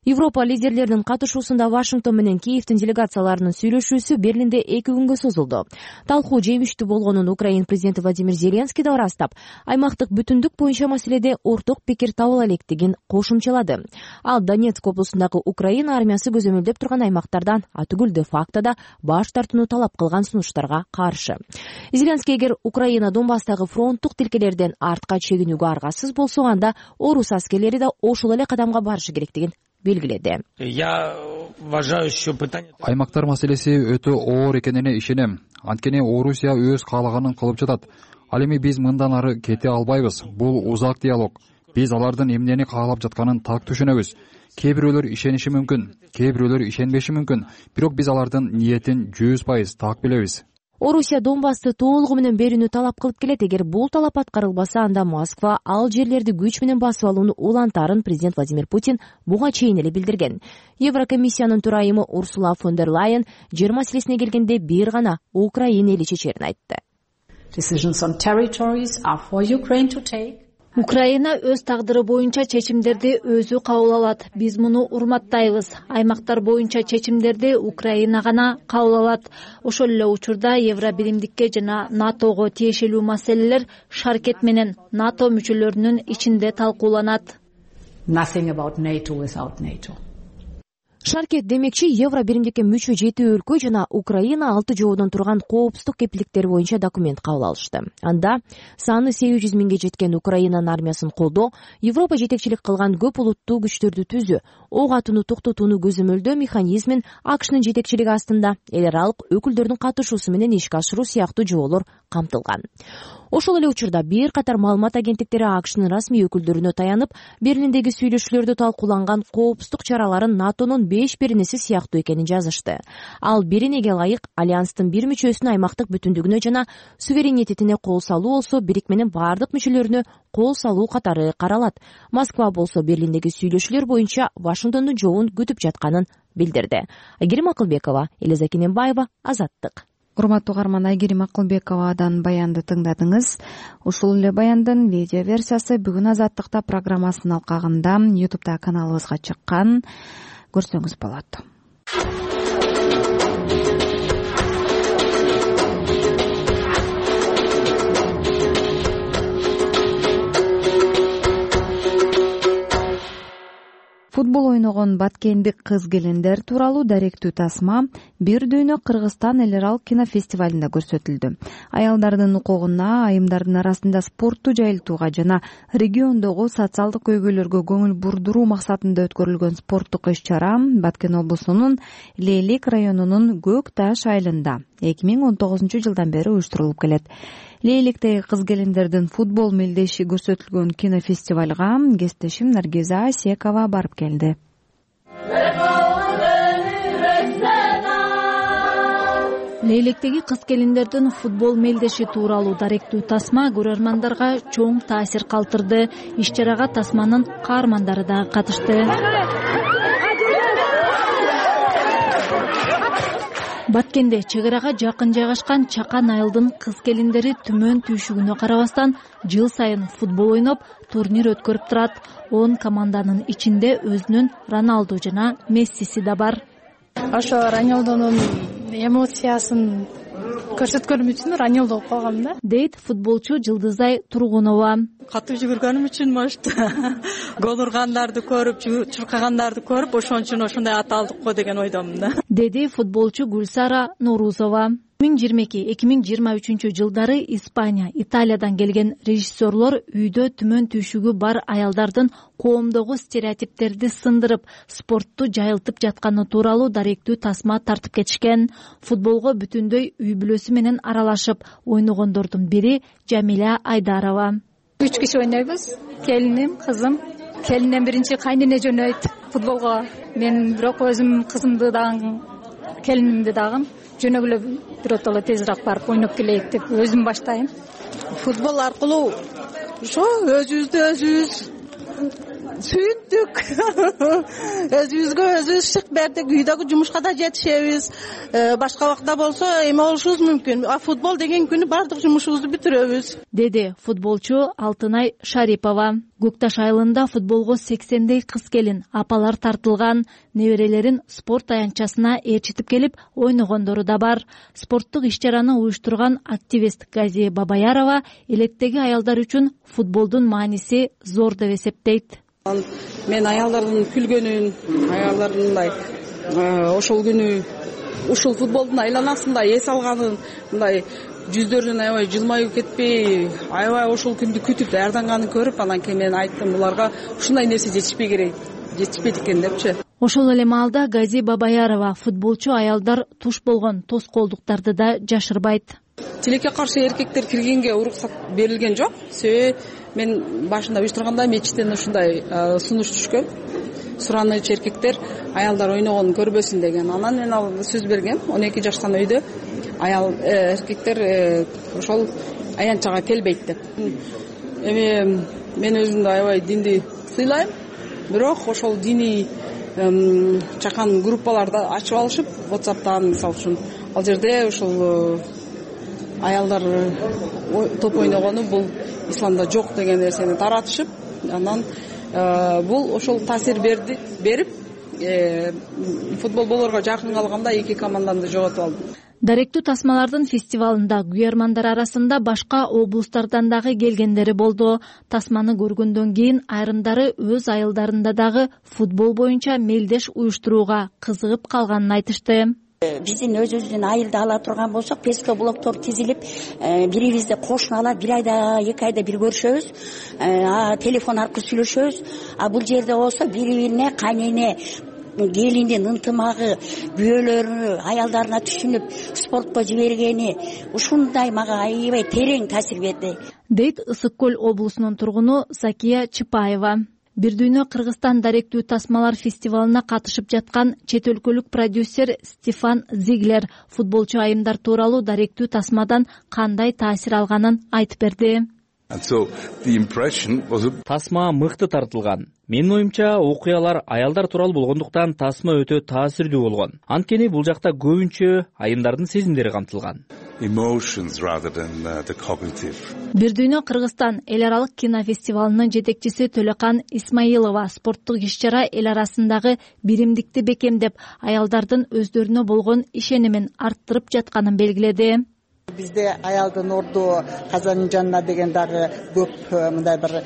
Европа лидерлеринин катышуусунда Вашингтон менен Киевдин делегацияларынын сүйлөшүүсү Берлинде эки күнгө созулду. Талкуу жемиштүү болгонун Украина президенти Владимир Зеленский да ырастап, аймактык бүтүндүк боюнча маселеде орток пикир табыла электигин кошумчалады. Ал Донецк облусундагы Украина армиясы көзөмөлдөп турган аймактардан атүгүл де фактода баш тартууну талап кылган сунуштарга каршы. Зеленский эгер Украина Донбасстагы фронттук тилкелерден артка чегинүүгө аргасыз болсо, анда орус аскерлери да ошол эле кадамга барышы керектигин белгиледи. Аймактар маселеси өтө оор экенине ишенем. Анткени Орусия өз каалаганын кылып жатат. Ал эми биз мындан ары кете албайбыз. Бул узак диалог. Биз алардын эмнени каалап жатканын так түшүнөбүз. Кээ бирөөлөр ишениши мүмкүн, кээ бирөөлөр ишенбеши мүмкүн. Бирок биз алардын ниетин жүз пайыз так билебиз. Орусия Донбассты толугу менен берүүнү талап кылып келет. Эгер бул талап аткарылбаса, анда Москва ал жерлерди күч менен басып алууну улантарын президент Владимир Путин буга чейин эле билдирген. Еврокомиссиянын төрайымы Урсула фон дер Лайен жер маселесине келгенде бир гана Украина эли чечерин айтты. Украина өз тагдыры боюнча чечимдерди өзү кабыл алат. Биз муну урматтайбыз. Аймактар боюнча чечимдерди Украина гана кабыл алат. Ошол эле учурда Евробиримдикке жана НАТОго тиешелүү маселелер Шаркет менен НАТО мүчөлөрүнүн ичинде талкууланат. Шаркет демекчи Евро биримдикке мүчө жети өлкө жана Украина алты жоодон турган коопсуздук кепилдиктери боюнча документ кабыл алышты. Анда саны сегиз жүз миңге жеткен Украинанын армиясын колдоо, Европа жетекчилик кылган көп улуттуу күчтөрдү түзүү, ок атууну токтотууну көзөмөлдөө механизмин АКШнын жетекчилиги астында эл аралык өкүлдөрдүн катышуусу менен ишке ашыруу сыяктуу жоолор камтылган. Ошол эле учурда бир катар маалымат агенттиктери АКШнын расмий өкүлдөрүнө таянып, Берлиндеги сүйлөшүүлөрдө талкууланган коопсуздук чараларын НАТОнун беш беренеси сыяктуу экенин жазышты. Ал беренеге ылайык альянстын бир мүчөсүнүн аймактык бүтүндүгүнө жана суверенитетине кол салуу болсо, бирикменин бардык мүчөлөрүнө кол салуу катары каралат. Москва болсо Берлиндеги сүйлөшүүлөр боюнча Вашингтондун жообун күтүп жатканын билдирди. Айгерим Акылбекова, Элиза Кененбаева, Азаттык. Урматтуу угарман, Айгерим Акылбековадан баянды тыңдадыңыз. Ушул эле баяндын видео версиясы бүгүн Азаттыкта программасынын алкагында ютубта каналыбызга чыккан. Көрсөңүз болот. Футбол ойногон баткендик кыз-келиндер тууралуу даректүү тасма бир дүйнө Кыргызстан эл аралык кинофестивалында көрсөтүлдү. Аялдардын укугуна, айымдардын арасында спортту жайылтууга жана региондогу социалдык көйгөйлөргө көңүл бурдуруу максатында өткөрүлгөн спорттук иш-чара Баткен облусунун Лейлик районунун Көк Таш айылында эки миң он тогузунчу жылдан бери уюштурулуп келет. Лейликтеги кыз-келиндердин футбол мелдеши көрсөтүлгөн кинофестивалга кесиптешим Наргиза Асекова барып келди. Лейликтеги кыз-келиндердин футбол мелдеши тууралуу даректүү тасма көрөрмандарга чоң таасир калтырды. Иш-чарага тасманын каармандары да катышты. Баткенде чек арага жакын жайгашкан Чакан айылдын кыз келиндери түмөн түйшүгүнө карабастан жыл сайын футбол ойноп, турнир өткөрүп турат. он команданын ичинде өзүнүн Роналду жана Мессиси да бар. Ошо Рональдунун эмоциясын көрсөткөнүм үчүн Рональду болуп калгам да, дейт футболчу Жылдызай Тургунова. Катуу жүгүргөнүм үчүн может гол ургандарды көрүп, чуркагандарды көрүп, ошон үчүн ошондой ат алдык го деген ойдомун да, деди футболчу Гүлсара Нурузова. эки миң жыйырма эки эки миң жыйырма үчүнчү жылдары Испания, Италиядан келген режиссерлор үйдө түмөн түйшүгү бар аялдардын коомдогу стереотиптерди сындырып, спортту жайылтып жатканы тууралуу даректүү тасма тартып кетишкен. Футболго бүтүндөй үй бүлөсү менен аралашып ойногондордун бири Жамиля Айдарова. Үч киши ойнойбуз. Келиним, кызым. Келинден биринчи кайнене жөнөйт футболго. Мен бирок өзүм кызымды дагы, келинимди дагы жөнөгүлө биротоло тезирээк барып ойноп келейик деп өзүм баштайм. Футбол аркылуу ошо өзүбүздү өзүбүз сүйүндүк, өзүбүзгө өзүбүз шык бердик, үйдөгү жумушка да жетишебиз, башка убакта болсо эме болушубуз мүмкүн, а футбол деген күнү баардык жумушубузду бүтүрөбүз, деди футболчу Алтынай Шарипова. Көкташ айылында футболго сексендей кыз келин, апалар тартылган. Неберелерин спорт аянтчасына ээрчитип келип ойногондору да бар. Спорттук иш-чараны уюштурган активист Гази Бабаярова элеттеги аялдар үчүн футболдун мааниси зор деп эсептейт. Мен аялдардын күлгөнүн, аялдардын мындай ошол күнү ушул футболдун айланасында эс алганын, мындай жүздөрүнөн аябай жылмаюу кетпей, аябай ошол күндү күтүп даярданганын көрүп, анан кийин мен айттым, буларга ушундай нерсе жетишпей керек, жетишпейт экен депчи. Ошол эле маалда Гази Бабаярова футболчу аялдар туш болгон тоскоолдуктарды да жашырбайт. Тилекке каршы эркектер киргенге уруксат берилген жок. Себеби мен башында уюштурганда мечиттен ушундай сунуш түшкөн. Сураныч эркектер аялдар ойногонун көрбөсүн деген. Анан мен ал сөз бергем. он эки жаштан өйдө аял эркектер ошол аянтчага келбейт деп. Эми мен өзүмдү аябай динди сыйлайм. Бирок ошол диний чакан группаларды ачып алышып, WhatsApp'тан мисалы үчүн ал жерде ошол аялдар топ ойногону бул исламда жок деген нерсени таратышып, анан бул ошол таасир берди, берип футбол болорго жакын калганда эки команданы жоготуп алдым. Даректүү тасмалардын фестивалында күйөрмандар арасында башка облустардан дагы келгендери болду. Тасманы көргөндөн кийин айрымдары өз айылдарында дагы футбол боюнча мелдеш уюштурууга кызыгып калганын айтышты. Биздин өзүбүздүн айылды ала турган болсок, песко блоктор тизилип, бирибизди кошуна алып, бир айда, эки айда бир көрүшөбүз, телефон аркылуу сүйлөшөбүз. А бул жерде болсо бири-бирине кайнене, келиндин ынтымагы, күйөөлөрү аялдарына түшүнүп, спортко жибергени ушундай мага аябай терең таасир берди, дейт Ысык көл облусунун тургуну Закия Чыпаева. Бир дүйнө Кыргызстан даректүү тасмалар фестивалына катышып жаткан чет өлкөлүк продюсер Стефан Зиглер футболчу айымдар тууралуу даректүү тасмадан кандай таасир алганын айтып берди. Тасма мыкты тартылган. Менин оюмча, окуялар аялдар тууралуу болгондуктан тасма өтө таасирдүү болгон. Анткени бул жакта көбүнчө айымдардын сезимдери камтылган. Бир дүйнө Кыргызстан эл аралык кинофестивалынын жетекчиси Төлөкан Исмаилова спорттук иш-чара эл арасындагы биримдикти бекемдеп, аялдардын өздөрүнө болгон ишенимин арттырып жатканын белгиледи. Бизде аялдын орду казанын жанына деген дагы көп мындай бир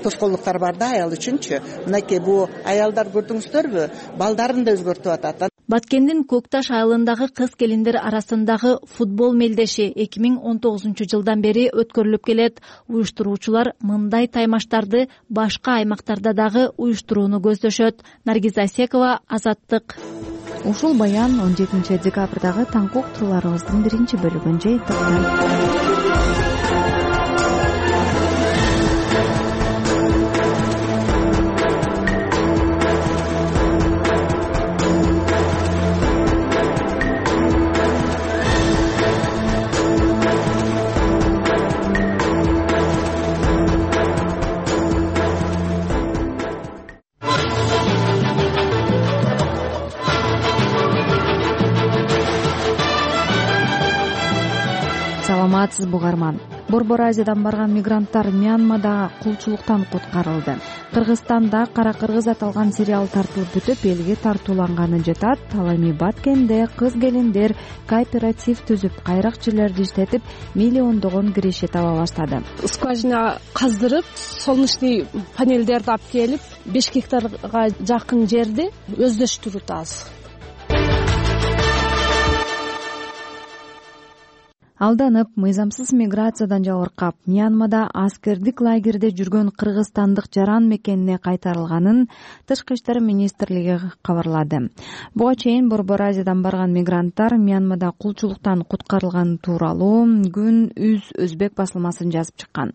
тоскоолдуктар бар да аял үчүнчү. Мынакей бул аялдар көрдүңүздөрбү, балдарын да өзгөртүп атат. Баткендин Көкташ айылындагы кыз келиндер арасындагы футбол мелдеши эки миң он тогузунчу жылдан бери өткөрүлүп келет. Уюштуруучулар мындай таймаштарды башка аймактарда дагы уюштурууну көздөшөт. Наргиз Асекова, Азаттык. Ушул баян он жетинчи декабрдагы таңкы уктурууларыбыздын биринчи бөлүгүн жыйынтыктайт. саламатсызбы угарман. Борбор Азиядан барган мигранттар Мьянмадагы кулчулуктан куткарылды. Кыргызстанда Кара кыргыз аталган сериал тартылып бүтүп, элге тартууланганы жатат. Ал эми Баткенде кыз-келиндер кооператив түзүп, кайракчыларды иштетип, миллиондогон киреше таба баштады. Скважина каздырып, солнечный панелдерди алып келип, беш гектарга жакын жерди өздөштүрүп атабыз. Алданып, мыйзамсыз миграциядан жабыркап, Мьянмада аскердик лагерде жүргөн кыргызстандык жаран мекенине кайтарылганын Тышкы иштер министрлиги кабарлады. Буга чейин Борбор Азиядан барган мигранттар Мьянмада кулчулуктан куткарылганы тууралуу Күн үз өзбек басылмасын жазып чыккан.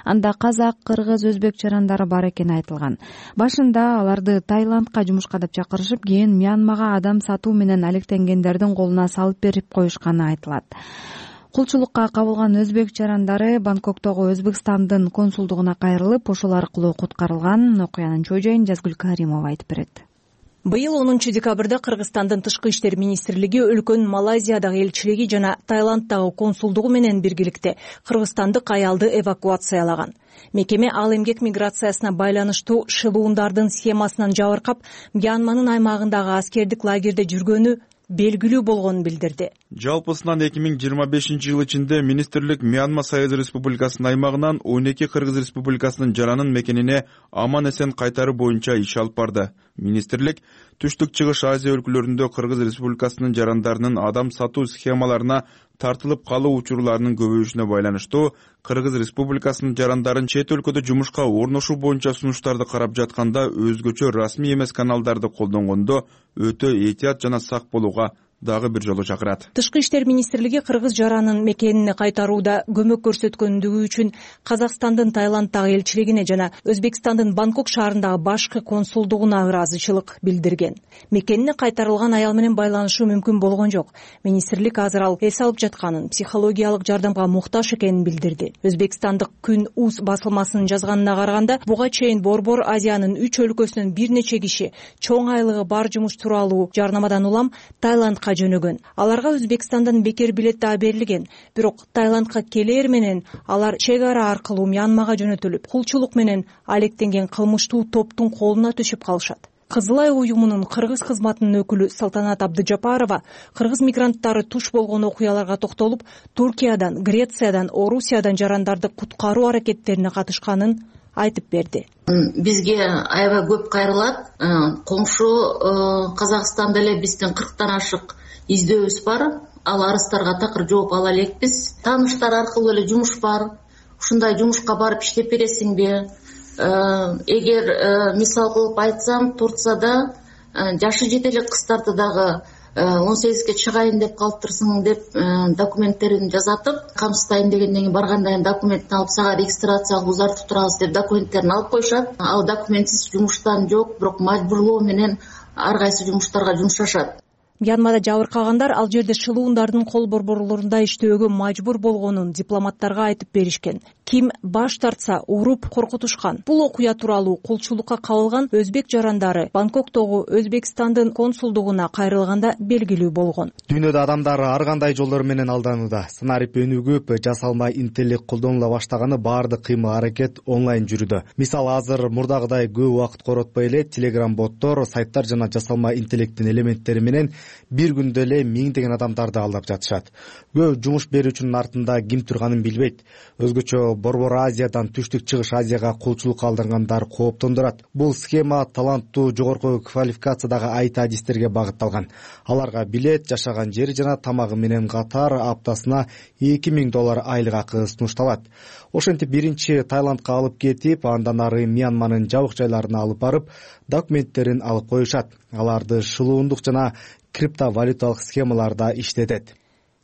Анда казак, кыргыз, өзбек жарандары бар экени айтылган. Башында аларды Таиландка жумушка деп чакырышып, кийин Мьянмага адам сатуу менен алектенгендердин колуна салып берип коюшканы айтылат. Кулчулукка кабылган өзбек жарандары Бангкоктогу Өзбекстандын консулдугуна кайрылып, ошол аркылуу куткарылган. Окуянын чоо жайын Жазгүл Каримова айтып берет. Быйыл онунчу декабрда Кыргызстандын Тышкы иштер министрлиги өлкөнүн Малайзиядагы элчилиги жана Таиланддагы консулдугу менен биргеликте кыргызстандык аялды эвакуациялаган. Мекеме ал эмгек миграциясына байланыштуу шылуундардын схемасынан жабыркап, Мьянманын аймагындагы аскердик лагерде жүргөнү белгилүү болгонун билдирди. Жалпысынан эки миң жыйырма бешинчи жыл ичинде министрлик Мьянма Союз Республикасынын аймагынан он эки Кыргыз Республикасынын жаранын мекенине аман-эсен кайтаруу боюнча иш алып барды. Министрлик Түштүк Чыгыш Азия өлкөлөрүндө Кыргыз Республикасынын жарандарынын адам сатуу схемаларына тартылып калуу учурларынын көбөйүшүнө байланыштуу Кыргыз Республикасынын жарандарын чет өлкөдө жумушка орношуу боюнча сунуштарды карап жатканда өзгөчө расмий эмес каналдарды колдонгондо өтө этият жана сак болууга дагы бир жолу чакырат. Тышкы иштер министрлиги кыргыз жаранын мекенине кайтарууда көмөк көрсөткөндүгү үчүн Казакстандын Таиланддагы элчилигине жана Өзбекстандын Бангкок шаарындагы башкы консулдугуна ыраазычылык билдирген. Мекенине кайтарылган аял менен байланышуу мүмкүн болгон жок. Министрлик азыр ал эс алып жатканын, психологиялык жардамга муктаж экенин билдирди. Өзбекстандык Күн үз басылмасынын жазганына караганда, буга чейин Борбор Азиянын үч өлкөсүнөн бир нече киши чоң айлыгы бар жумуш тууралуу жарнамадан улам Таиландка жөнөгөн. Аларга Өзбекстандан бекер билет да берилген. Бирок Таиландка келээр менен алар чек ара аркылуу Мьянмага жөнөтүлүп, кулчулук менен алектенген кылмыштуу топтун колуна түшүп калышат. Кызыл Ай уюмунун кыргыз кызматынын өкүлү Салтанат Абдыжапарова кыргыз мигранттары туш болгон окуяларга токтолуп, Туркиядан, Грециядан, Орусиядан жарандарды куткаруу аракеттерине катышканын айтып берди. Бизге аябай көп кайрылат. Коңшу Казакстанда эле биздин кырктан ашык издөөбүз бар. Ал арыздарга такыр жооп ала элекпиз. Тааныштар аркылуу эле жумуш бар. Ушундай жумушка барып иштеп бересиңби? Эгер мисал кылып айтсам, Турцияда жашы жете элек кыздарды дагы он сегизге чыгайын деп калыптырсың деп документтерин жазатып, камсыздайын дегенден кийин баргандан кийин документин алып сага регистрацияга узартып турабыз деп документтерин алып коюшат. Ал документсиз жумуштан жок, бирок мажбурлоо менен ар кайсы жумуштарга жумшашат. Мьянмада жабыркагандар ал жерде шылуундардын кол борборлорунда иштөөгө мажбур болгонун дипломаттарга айтып беришкен. Ким баш тартса уруп коркутушкан. Бул окуя тууралуу кулчулукка кабылган өзбек жарандары Бангкоктогу Өзбекстандын консулдугуна кайрылганда белгилүү болгон. Дүйнөдө адамдар ар кандай жолдор менен алданууда. Сценарий өнүгүп, жасалма интеллект колдонула баштаганы баардык кыймыл-аракет онлайн жүрүүдө. Мисалы азыр мурдагыдай көп убакыт коротпой эле Telegram боттор, сайттар жана жасалма интеллекттин элементтери менен бир күндө эле миңдеген адамдарды алдап жатышат. Көп жумуш берүүчүнүн артында ким турганын билбейт. Өзгөчө Борбор Азиядан Түштүк Чыгыш Азияга кулчулукка алдангандар кооптондурат. Бул схема таланттуу, жогорку квалификациядагы айт адистерге багытталган. Аларга билет, жашаган жери жана тамагы менен катар аптасына эки миң доллар айлык акы сунушталат. Ошентип биринчи Таиландка алып кетип, андан ары Мьянманын жабык жайларына алып барып, документтерин алып коюшат. Аларды шылуундук жана криптовалюталык схемаларда иштетет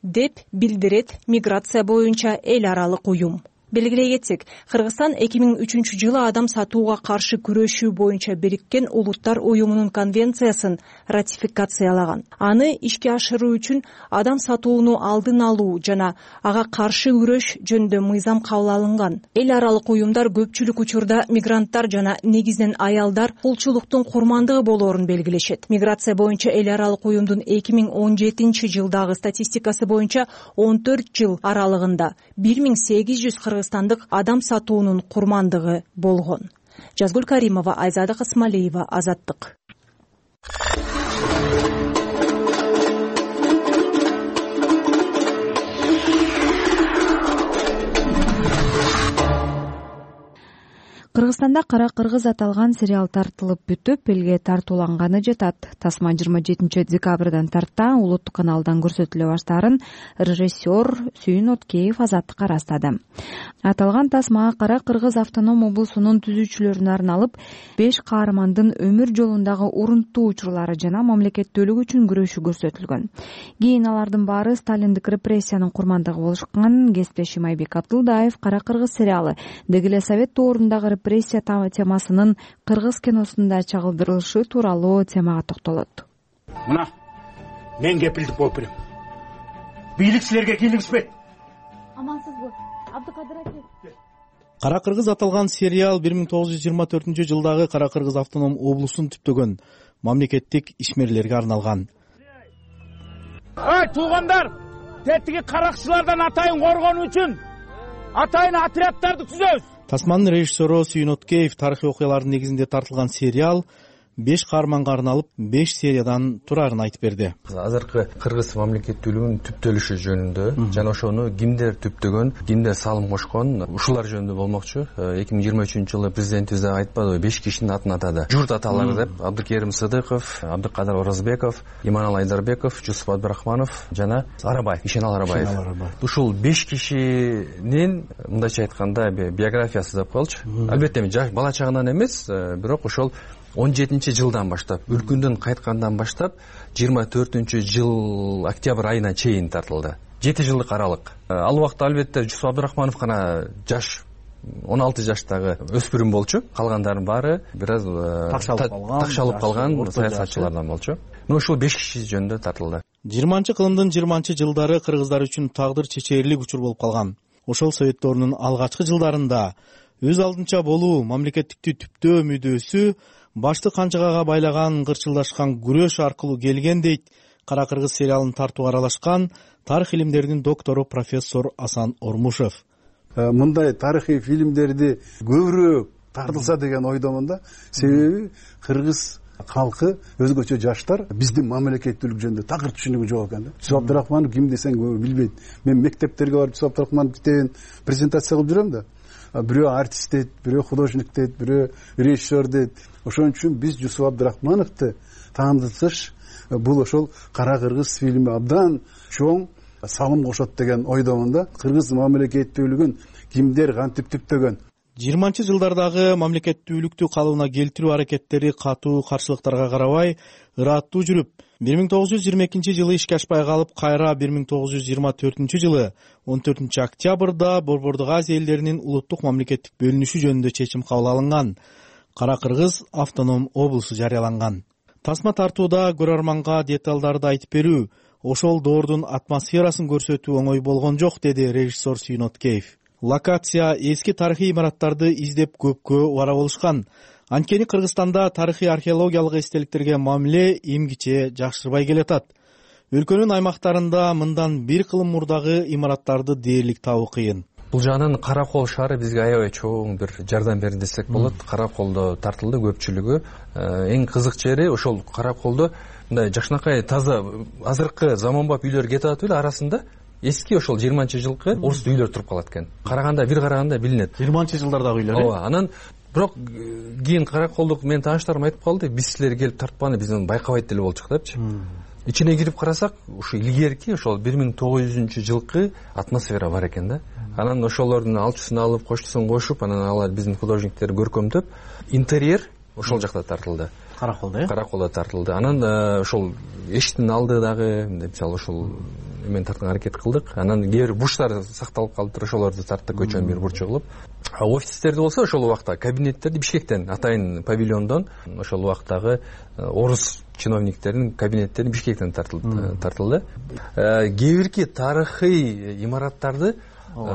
деп билдирет миграция боюнча эл аралык уюм. белгилей кетсек, Кыргызстан эки миң үчүнчү жылы адам сатууга каршы күрөшүү боюнча Бириккен Улуттар уюмунун конвенциясын ратификациялаган. Аны ишке ашыруу үчүн адам сатууну алдын алуу жана ага каршы күрөш жөнүндө мыйзам кабыл алынган. Эл аралык уюмдар көпчүлүк учурда мигранттар жана негизинен аялдар кулчулуктун курмандыгы болоорун белгилешет. Миграция боюнча эл аралык уюмдун эки миң он жетинчи жылдагы статистикасы боюнча он төрт жыл аралыгында бир миң сегиз жүз кыргызстандык адам сатуунун курмандыгы болгон. Жазгүл Каримова, Айзада Касмалиева, Азаттык. Кыргызстанда Кара кыргыз аталган сериал тартылып бүтүп, элге тартууланганы жатат. Тасма жыйырма жетинчи декабрдан тарта улуттук каналдан көрсөтүлө баштаарын режиссер Сүйүн Откеев Азаттыкка ырастады. Аталган тасма Кара кыргыз автоном облусунун түзүүчүлөрүнө арналып, беш каармандын өмүр жолундагы урунттуу учурлары жана мамлекеттүүлүк үчүн күрөшү көрсөтүлгөн. Кийин алардын баары сталиндик репрессиянын курмандыгы болушкан. Кесиптешим Айбек Абдулдаев Кара кыргыз сериалы деги эле совет доорундагы репрессия темасынын кыргыз киносунда чагылдырылышы тууралуу темага токтолот. Мына мен кепилдик болуп берем. Бийлик силерге кийлигишпейт. Амансызбы? Абдыкадыр аке. Кара кыргыз аталган сериал бир миң тогуз жүз жыйырма төртүнчү жылдагы Кара кыргыз автоном облусун түптөгөн мамлекеттик ишмерлерге арналган. Ай туугандар, тетиги каракчылардан атайын коргонуу үчүн атайын отряддарды түзөбүз. Тасманын режиссеру Сүйүн Откеев тарыхый окуялардын негизинде тартылган сериал беш каарманга арналып беш сериядан турарын айтып берди. Азыркы кыргыз мамлекеттүүлүгүнүн түптөлүшү жөнүндө жана ошону кимдер түптөгөн, кимдер салым кошкон, ушулар жөнүндө болмокчу. эки миң жыйырма үчүнчү жылы президентибиз да айтпадыбы, беш кишинин атын атады. Журт аталары деп, Абдыкерим Сыдыков, Абдыкадыр Оразбеков, Иманалы Айдарбеков, Жусуп Абдрахманов жана Арабай, Ишенал Арабаев. Ушул беш кишинин мындайча айтканда биографиясы деп коелучу. Албетте эми бала чагынан эмес, бирок ошол он жетинчи жылдан баштап, өлкөндөн кайткандан баштап жыйырма төртүнчү жыл октябрь айына чейин тартылды. жети жылдык аралык. Ал убакта албетте Жусуп Абдрахманов гана жаш он алты жаштагы өспүрүм болчу. Калгандардын баары бир аз такшалып калган саясатчылардан болчу. Но ушул беш киши жөнүндө тартылды. жыйырманчы кылымдын жыйырманчы жылдары кыргыздар үчүн тагдыр чечээрлик учур болуп калган. Ошол совет доорунун алгачкы жылдарында өз алдынча болуу, мамлекеттикти түптөө мүдөөсү башты канчагага байлаган кырчылдашкан күрөш аркылуу келген дейт Кара кыргыз сериалын тартууга аралашкан тарых илимдеринин доктору профессор Асан Ормушев. Мындай тарыхый фильмдерди көбүрөөк тартылса деген ойдомун да. Себеби кыргыз калкы, өзгөчө жаштар биздин мамлекеттүүлүк жөнүндө такыр түшүнүгү жок экен да. Жусуп Абдрахманов ким десең көбү билбейт. Мен мектептерге барып Жусуп Абдрахманов китебин презентация кылып жүрөм да. Бирөө артист дейт, бирөө художник дейт, бирөө режиссер дейт. Ошон үчүн биз Жусуп Абдрахмановду таандытыш бул ошол Кара кыргыз фильми абдан чоң салым кошот деген ойдомун да. Кыргыз мамлекеттүүлүгүн кимдер кантип түптөгөн. жыйырманчы жылдардагы мамлекеттүүлүктү калыбына келтирүү аракеттери катуу каршылыктарга карабай ыраттуу жүрүп, бир миң тогуз жүз жыйырма экинчи жылы ишке ашпай калып, кайра бир миң тогуз жүз жыйырма төртүнчү жылы он төртүнчү октябрда Борбордук Азия элдеринин улуттук мамлекеттик бөлүнүшү жөнүндө чечим кабыл алынган. Кара кыргыз автоном облусу жарыяланган. Тасма тартууда көрөрманга деталдарды айтып берүү, ошол доордун атмосферасын көрсөтүү оңой болгон жок, деди режиссер Сүйүн Откеев. Локация эски тарыхый имараттарды издеп көпкө убара болушкан. Анткени Кыргызстанда тарыхый археологиялык эстеликтерге мамиле эмгиче жакшырбай келатат. Өлкөнүн аймактарында мындан бир кылым мурдагы имараттарды дээрлик табуу кыйын. Бул жагынан Кара кол шаары бизге аябай чоң бир жардам берди десек болот. Кара колдо тартылды көпчүлүгү. Эң кызык жери ошол Кара колдо мындай жакшынакай таза азыркы заманбап үйлөр кетип атып эле арасында эски ошол жыйырманчы жылкы орус үйлөр туруп калат экен. Караганда бир караганда билинет. жыйырманчы жылдардагы үйлөр. Ооба, анан бирок кийин Кара колдук менин тааныштарым айтып калды, биз силер келип тартпаны бизден байкабайт деле болчук депчи. Ичине кирип карасак, ушу илгерки ошол бир миң тогуз жүзүнчү жылкы атмосфера бар экен да. Анан ошолордун алчысын алып, коштусун кошуп, анан алар биздин художниктер көркөмдөп, интерьер ошол жакта тартылды. Караколдо э Караколдо тартылды. Анан ошол эшиктин алды дагы мисалы ошол эмен тартууга аракет кылдык. Анан кээ бир бурчтар сакталып калыптыр, ошолорду тарттык, көчөнүн бир бурчу кылып. Офистерди болсо ошол убакта кабинеттерди Бишкектен, атайын павильондон ошол убактагы орус чиновниктердин кабинеттерин Бишкектен тартылды. Кээ бирки тарыхый имараттарды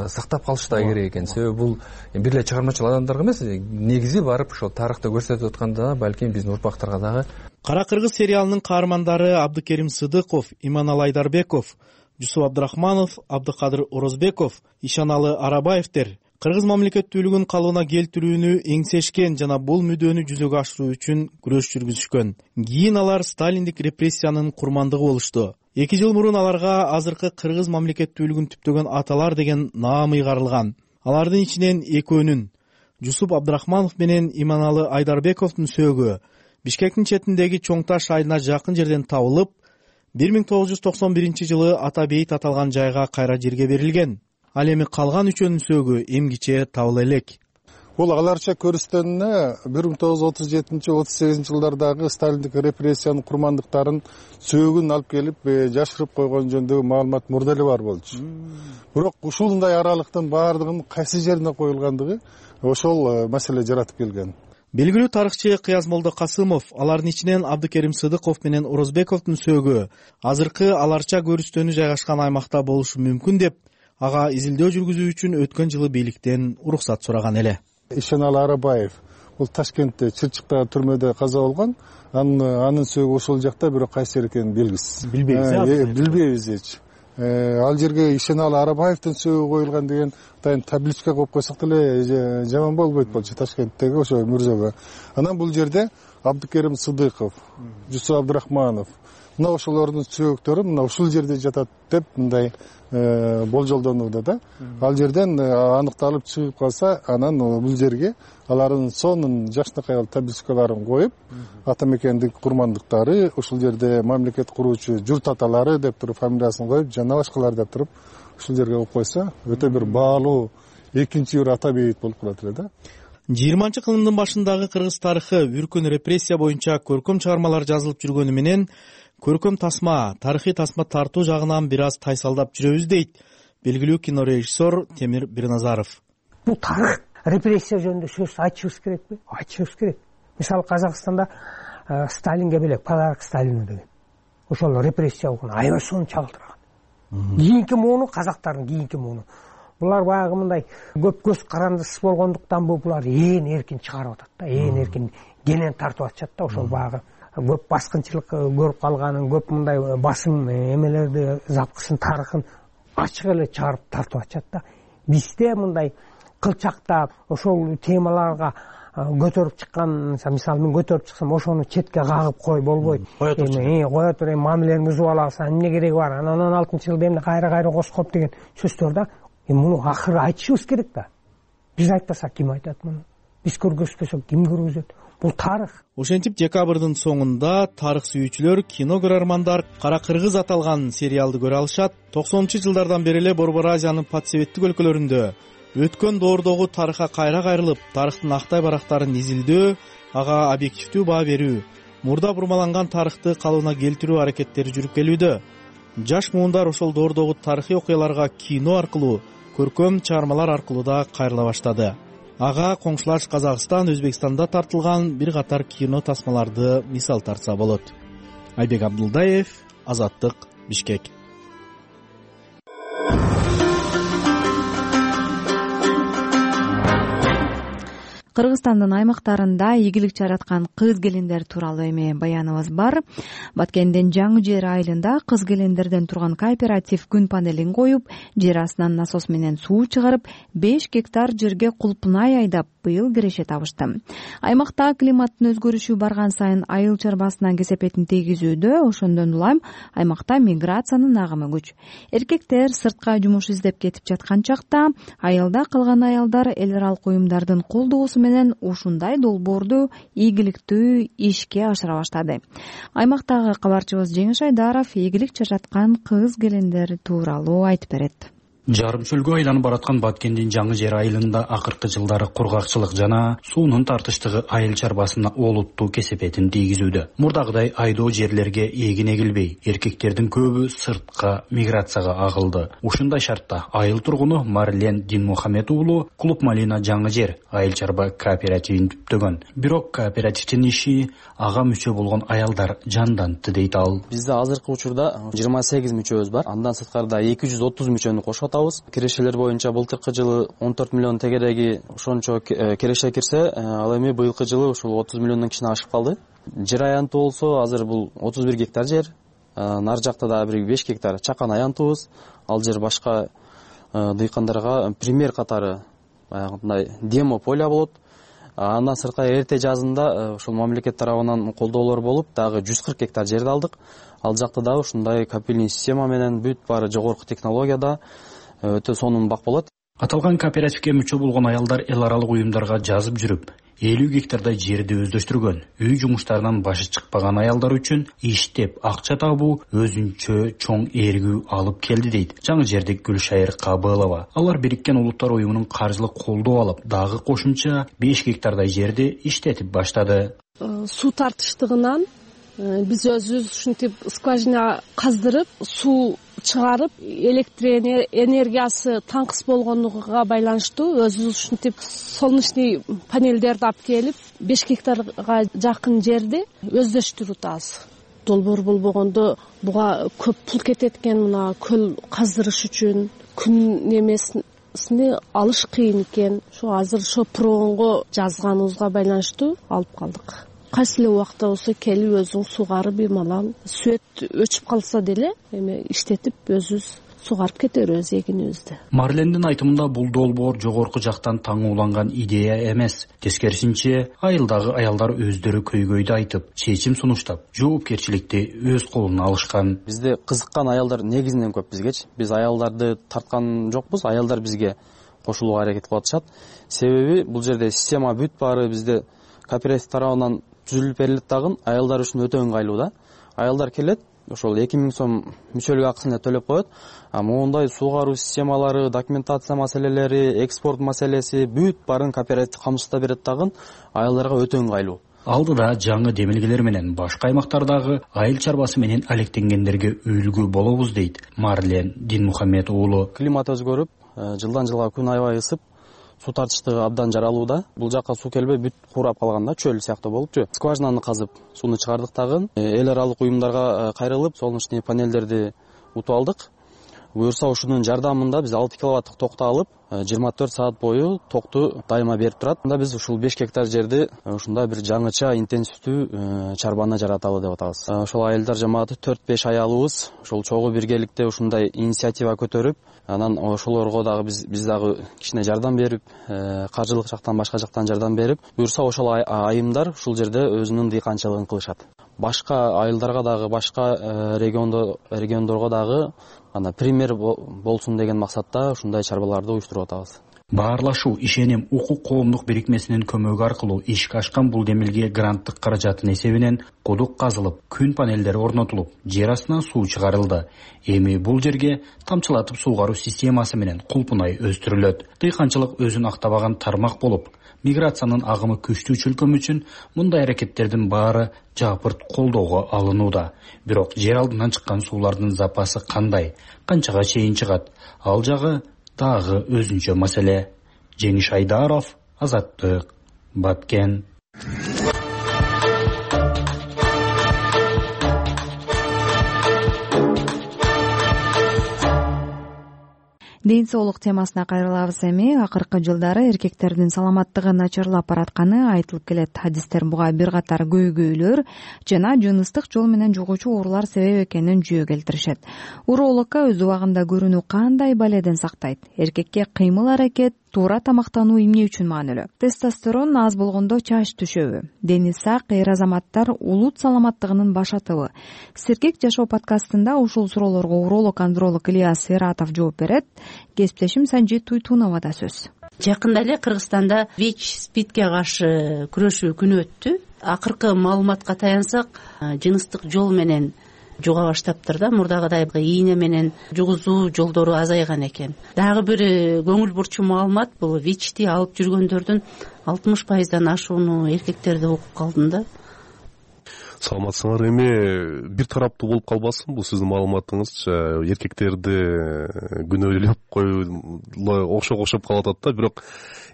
сактап калыш да керек экен. Себеби бул бир эле чыгармачыл адамдарга эмес, негизи барып ошол тарыхты көрсөтүп атканда балким биздин урпактарга дагы. Кара кыргыз сериалынын каармандары Абдыкерим Сыдыков, Иманалы Айдарбеков, Жусуп Абдрахманов, Абдыкадыр Орозбеков, Ишаналы Арабаевдер кыргыз мамлекеттүүлүгүн калыбына келтирүүнү эңсешкен жана бул мүдөнү жүзөгө ашыруу үчүн күрөш жүргүзүшкөн. Кийин алар сталиндик репрессиянын курмандыгы болушту. Эки жыл мурун аларга азыркы кыргыз мамлекеттүүлүгүн түптөгөн аталар деген наам ыйгарылган. Алардын ичинен экөөнүн, Жусуп Абдрахманов менен Иманалы Айдарбековдун сөөгү Бишкектин четиндеги Чоң Таш айына жакын жерден табылып, бир миң тогуз жүз токсон биринчи жылы ата бейит аталган жайга кайра жерге берилген. Ал эми калган үчөөнүн сөөгү эмгиче табыла элек. Бул аларча көрүстөнүнө бир миң тогуз жүз отуз жетинчи отуз сегизинчи жылдардагы сталиндик репрессиянын курмандыктарын сөөгүн алып келип жашырып койгон жөнүндөгү маалымат мурда эле бар болчу. Бирок ушундай аралыктын баардыгынын кайсы жерине коюлгандыгы ошол маселе жаратып келген. Белгилүү тарыхчы Кыязмолдо Касымов алардын ичинен Абдыкерим Сыдыков менен Орозбековдун сөөгү азыркы аларча көрүстөнү жайгашкан аймакта болушу мүмкүн деп, ага изилдөө жүргүзүү үчүн өткөн жылы бийликтен уруксат сураган эле. Ишаналы Арабаев бул Ташкентте Чырчыктагы түрмөдө каза болгон. Анын сөөгү ошол жакта, бирок кайсы жер экенин белгисиз. Билбейбиз. Билбейбиз эч. Ал жерге Ишаналы Арабаевдин сөөгү коюлган деген атайын табличка коюп койсок деле жаман болбойт болчу Ташкенттеги ошо мырзага. Анан бул жерде Абдыкерим Сыдыков, Жусуп Абдрахманов, мына ошолордун сөөгүктөрү мына ушул жерде жатат деп мындай болжолдонууда да. Ал жерден аныкталып чыгып калса, анан бул жерге алардын сонун жакшынакай табличкаларын коюп, ата мекендик курмандыктары, ушул жерде мамлекет куруучу журт аталары деп туруп фамилиясын коюп, жана башкалар деп туруп ушул жерге коюп койсо, өтө бир баалуу экинчи бир ата бейит болуп калат эле да. жыйырманчы кылымдын башындагы кыргыз тарыхы үркүн репрессия боюнча көркөм чыгармалар жазылып жүргөнү менен көркөм тасма, тарыхый тасма тартуу жагынан бир аз тайсалдап жүрөбүз дейт белгилүү кинорежиссер Темир Бирназаров. Бул тарых репрессия жөнүндө сөз айтышыбыз керекпи? Айтышыбыз керек. Мисалы Казакстанда Сталинге белек подарок Сталину деген. Ошол репрессия болгон аябай сонун чагылдырган. Кийинки мууну казактардын кийинки мууну. Булар баягы мындай көп көз карандысыз болгондуктан булар ээн эркин чыгарып атат да, ээн эркин кенен тартып атышат да. Ошол баягы көп баскынчылык көрүп калганын, көп мындай басым эмелерди, запкысын, тарыхын ачык эле чыгарып тартып атышат да. Бизде мындай кылчакта ошол темаларга көтөрүп чыккан, мисалы мен көтөрүп чыксам, ошону четке кагып кой болбойт. Эми кое тур, эми мамилени бузуп алабыз, эмне кереги бар? Анан он алтынчы жылда эмне кайра-кайра коскоп деген сөздөр да. Эми муну акыры айтышыбыз керек да. Биз айтпасак ким айтат муну? Биз көргөзбөсөк ким көргөзөт? Бул тарых. Ошентип декабрдын соңунда тарых сүйүүчүлөр, кино көрөрмандар Кара кыргыз аталган сериалды көрө алышат. токсонунчу жылдардан бери эле Борбор Азиянын подсоветтик өлкөлөрүндө өткөн доордогу тарыхка кайра кайрылып, тарыхтын актай барактарын изилдөө, ага объективдүү баа берүү, мурда бурмаланган тарыхты калыбына келтирүү аракеттери жүрүп келүүдө. Жаш муундар ошол доордогу тарыхый окуяларга кино аркылуу, көркөм чыгармалар аркылуу да кайрыла баштады. Ага коңшулаш Казакстан, Өзбекстанда тартылган бир катар кино тасмаларды мисал тартса болот. Айбек Абдулдаев, Азаттык, Бишкек. Кыргызстандын аймактарында ийгилик жараткан кыз келиндер тууралуу эми баяныбыз бар. Баткендин Жаңы Жер айылында кыз келиндерден турган кооператив күн панелин коюп, жер астынан насос менен суу чыгарып, беш гектар жерге кулпунай айдап быйыл киреше табышты. Аймакта климаттын өзгөрүшү барган сайын айыл чарбасынан кесепетин тийгизүүдө, ошондон улам аймакта миграциянын агымы күч. Эркектер сыртка жумуш издеп кетип жаткан чакта, айылда калган аялдар эл аралык уюмдардын колдоосу менен ушундай долбоорду ийгиликтүү ишке ашыра баштады. Аймактагы кабарчыбыз Жеңиш Айдаров ийгилик жараткан кыз келиндер тууралуу айтып берет. жарым чөлгө айланып бараткан Баткендин Жаңы Жер айылында акыркы жылдары кургакчылык жана суунун тартыштыгы айыл чарбасына олуттуу кесепетин тийгизүүдө. Мурдагыдай айдоо жерлерге эгин эгилбей, эркектердин көбү сыртка миграцияга агылды. Ушундай шартта айыл тургуну Марлен Динмухамед уулу Клуб Малина Жаңы Жер айыл чарба кооперативин түптөгөн. Бирок кооперативдин иши ага мүчө болгон аялдар жандантты дейт ал. Бизде азыркы учурда жыйырма сегиз мүчөбүз бар. Андан сырткарда эки жүз отуз мүчөнү кошуп атабыз. Кирешелер боюнча былтыркы жылы он төрт миллион тегереги ошончо кереше кирсе, ал эми быйылкы жылы ушул отуз миллиондон кичине ашып калды. Жер аянты болсо азыр бул отуз бир гектар жер. Нар жакта дагы бир беш гектар чакан аянтыбыз. Ал жер башка дыйкандарга пример катары баягындай демо поля болот. Андан сырткары эрте жазында ушул мамлекет тарабынан колдоолор болуп, дагы жүз кырк гектар жерди алдык. Ал жакта дагы ушундай капельный система менен бүт баары жогорку технологияда өтө сонун бак болот. Аталган кооперативге мүчө болгон аялдар эл аралык уюмдарга жазып жүрүп, элүү гектардай жерди өздөштүргөн. Үй жумуштарынан башы чыкпаган аялдар үчүн иштеп акча табуу өзүнчө чоң ээргүү алып келди дейт Жаңы Жердик Гүлшайыр Кабылова. Алар Бириккен Улуттар уюмунун каржылык колдоо алып, дагы кошумча беш гектардай жерди иштетип баштады. Суу тартыштыгынан биз өзүбүз ушинтип скважина каздырып, суу чыгарып, электр энергиясы таңкыс болгондугуга байланыштуу өзүбүз ушинтип солнечный панелдерди алып келип, беш гектарга жакын жерди өздөштүрүп атабыз. Долбоор болбогондо буга көп пул кетет экен, мына көл каздырыш үчүн күн немесини алыш кыйын экен. Ошо азыр ошо прогонго жазганыбызга байланыштуу алып калдык. Кайсы эле убакта болсо келип өзүң сугарып, бемалал свет өчүп калса деле эми иштетип өзүбүз сугарып кете беребиз эгинибизди. Марлендин айтымында бул долбоор жогорку жактан таңууланган идея эмес. Тескерисинче, айылдагы аялдар өздөрү көйгөйдү айтып, чечим сунуштап, жоопкерчиликти өз колуна алышкан. Бизде кызыккан аялдар негизинен көп бизгечи. Биз аялдарды тарткан жокпуз, аялдар бизге кошулууга аракет кылып атышат. Себеби бул жерде система бүт баары бизде кооператив тарабынан түзүлүп берилет дагы, аялдар үчүн өтө ыңгайлуу да. Аялдар келет, ошол эки миң сом мүчөлүк акысын эле төлөп коет. А моундай суугаруу системалары, документация маселелери, экспорт маселеси бүт баарын кооператив камсыздап берет дагы, аялдарга өтө ыңгайлуу. Алдыда жаңы демилгелер менен башка аймактардагы айыл чарбасы менен алектенгендерге үлгү болобуз дейт Марлен Динмухамед уулу. Климат өзгөрүп, жылдан жылга күн аябай ысып, суу тартыштыгы абдан жаралууда. Бул жакка суу келбей бүт курап калганда, чөл сыяктуу болупчу. Скважинаны казып сууну чыгардык дагы. Эл аралык уюмдарга кайрылып, солнечный панелдерди утуп алдык. Буюрса ушунун жардамында биз алты киловаттык токту алып, жыйырма төрт саат бою токту дайыма берип турат. Анда биз ушул беш гектар жерди ушундай бир жаңыча интенсивдүү чарбаны жараталы деп атабыз. Ошол айылдар жамааты төрт беш аялыбыз ошол чогуу биргеликте ушундай инициатива көтөрүп, анан ошолорго дагы биз биз дагы кичине жардам берип, каржылык жактан башка жактан жардам берип, буюрса ошол айымдар ушул жерде өзүнүн дыйканчылыгын кылышат. Башка айылдарга дагы, башка региондо региондорго дагы ана пример болсун деген максатта ушундай чарбаларды уюштуруп атабыз. Баарлашуу, ишеним, укук коомдук бирикмесинин көмөгү аркылуу ишке ашкан бул демилге гранттык каражаттын эсебинен кудук казылып, күн панелдери орнотулуп, жер астынан суу чыгарылды. Эми бул жерге тамчылатып суугаруу системасы менен кулпунай өстүрүлөт. Дыйканчылык өзүн актабаган тармак болуп, миграциянын агымы күчтүү чөлкөм үчүн мындай аракеттердин баары жапырт колдоого алынууда. Бирок жер алдынан чыккан суулардын запасы кандай, канчага чейин чыгат? Ал жагы дагы өзүнчө маселе. Жеңиш Айдаров, Азаттык, Баткен. Ден соолук темасына кайрылабыз эми. Акыркы жылдары эркектердин саламаттыгы начарлап баратканы айтылып келет. Хадистер буга бир катар көйгөйлөр жана жыныстык жол менен жугуучу оорулар себеп экенин жүйө келтиришет. Урологко өз убагында көрүүнү кандай баледен сактайт? Эркекке кыймыл-аракет, туура тамактануу эмне үчүн маанилүү? Тестостерон аз болгондо чач түшөбү? Дени сак эр азаматтар улут саламаттыгынын башатыбы? Сергек жашоо подкастында ушул суроолорго уролог андролог Ильяс Сератов жооп берет. Кесиптешим Санжит Туйтунова да сөз. Жакында эле Кыргызстанда ВИЧ, СПИДке каршы күрөшүү күнү өттү. Акыркы маалыматка таянсак, жыныстык жол менен жуга баштаптыр да. Мурдагыдай ийне менен жугузуу жолдору азайган экен. Дагы бир көңүл бурчу маалымат, бул вичти алып жүргөндөрдүн алтымыш пайыздан ашууну эркектерди окуп калдым да. Саламатсыңар. Эми бир тараптуу болуп калбасын бул сиздин маалыматыңызчы. Эркектерди күнөөлөп коюула окшоп окшоп калып атат да. Бирок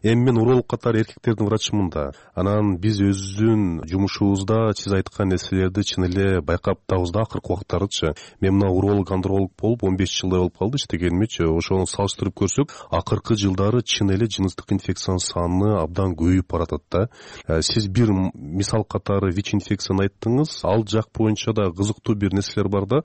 эми мен уролог катары эркектердин врачымын да. Анан биз өзүбүздүн жумушубузда сиз айткан нерселерди чын эле байкаптабыз да акыркы убактардычы. Мен мына уролог андролог болуп он беш жылдай болуп калды иштегенимчи. Ошону салыштырып көрсөк, акыркы жылдары чын эле жыныстык инфекциянын саны абдан көбөйүп баратат да. Сиз бир мисал катары ВИЧ инфекцияны айттыңыз. Ал жак боюнча да кызыктуу бир нерселер бар да.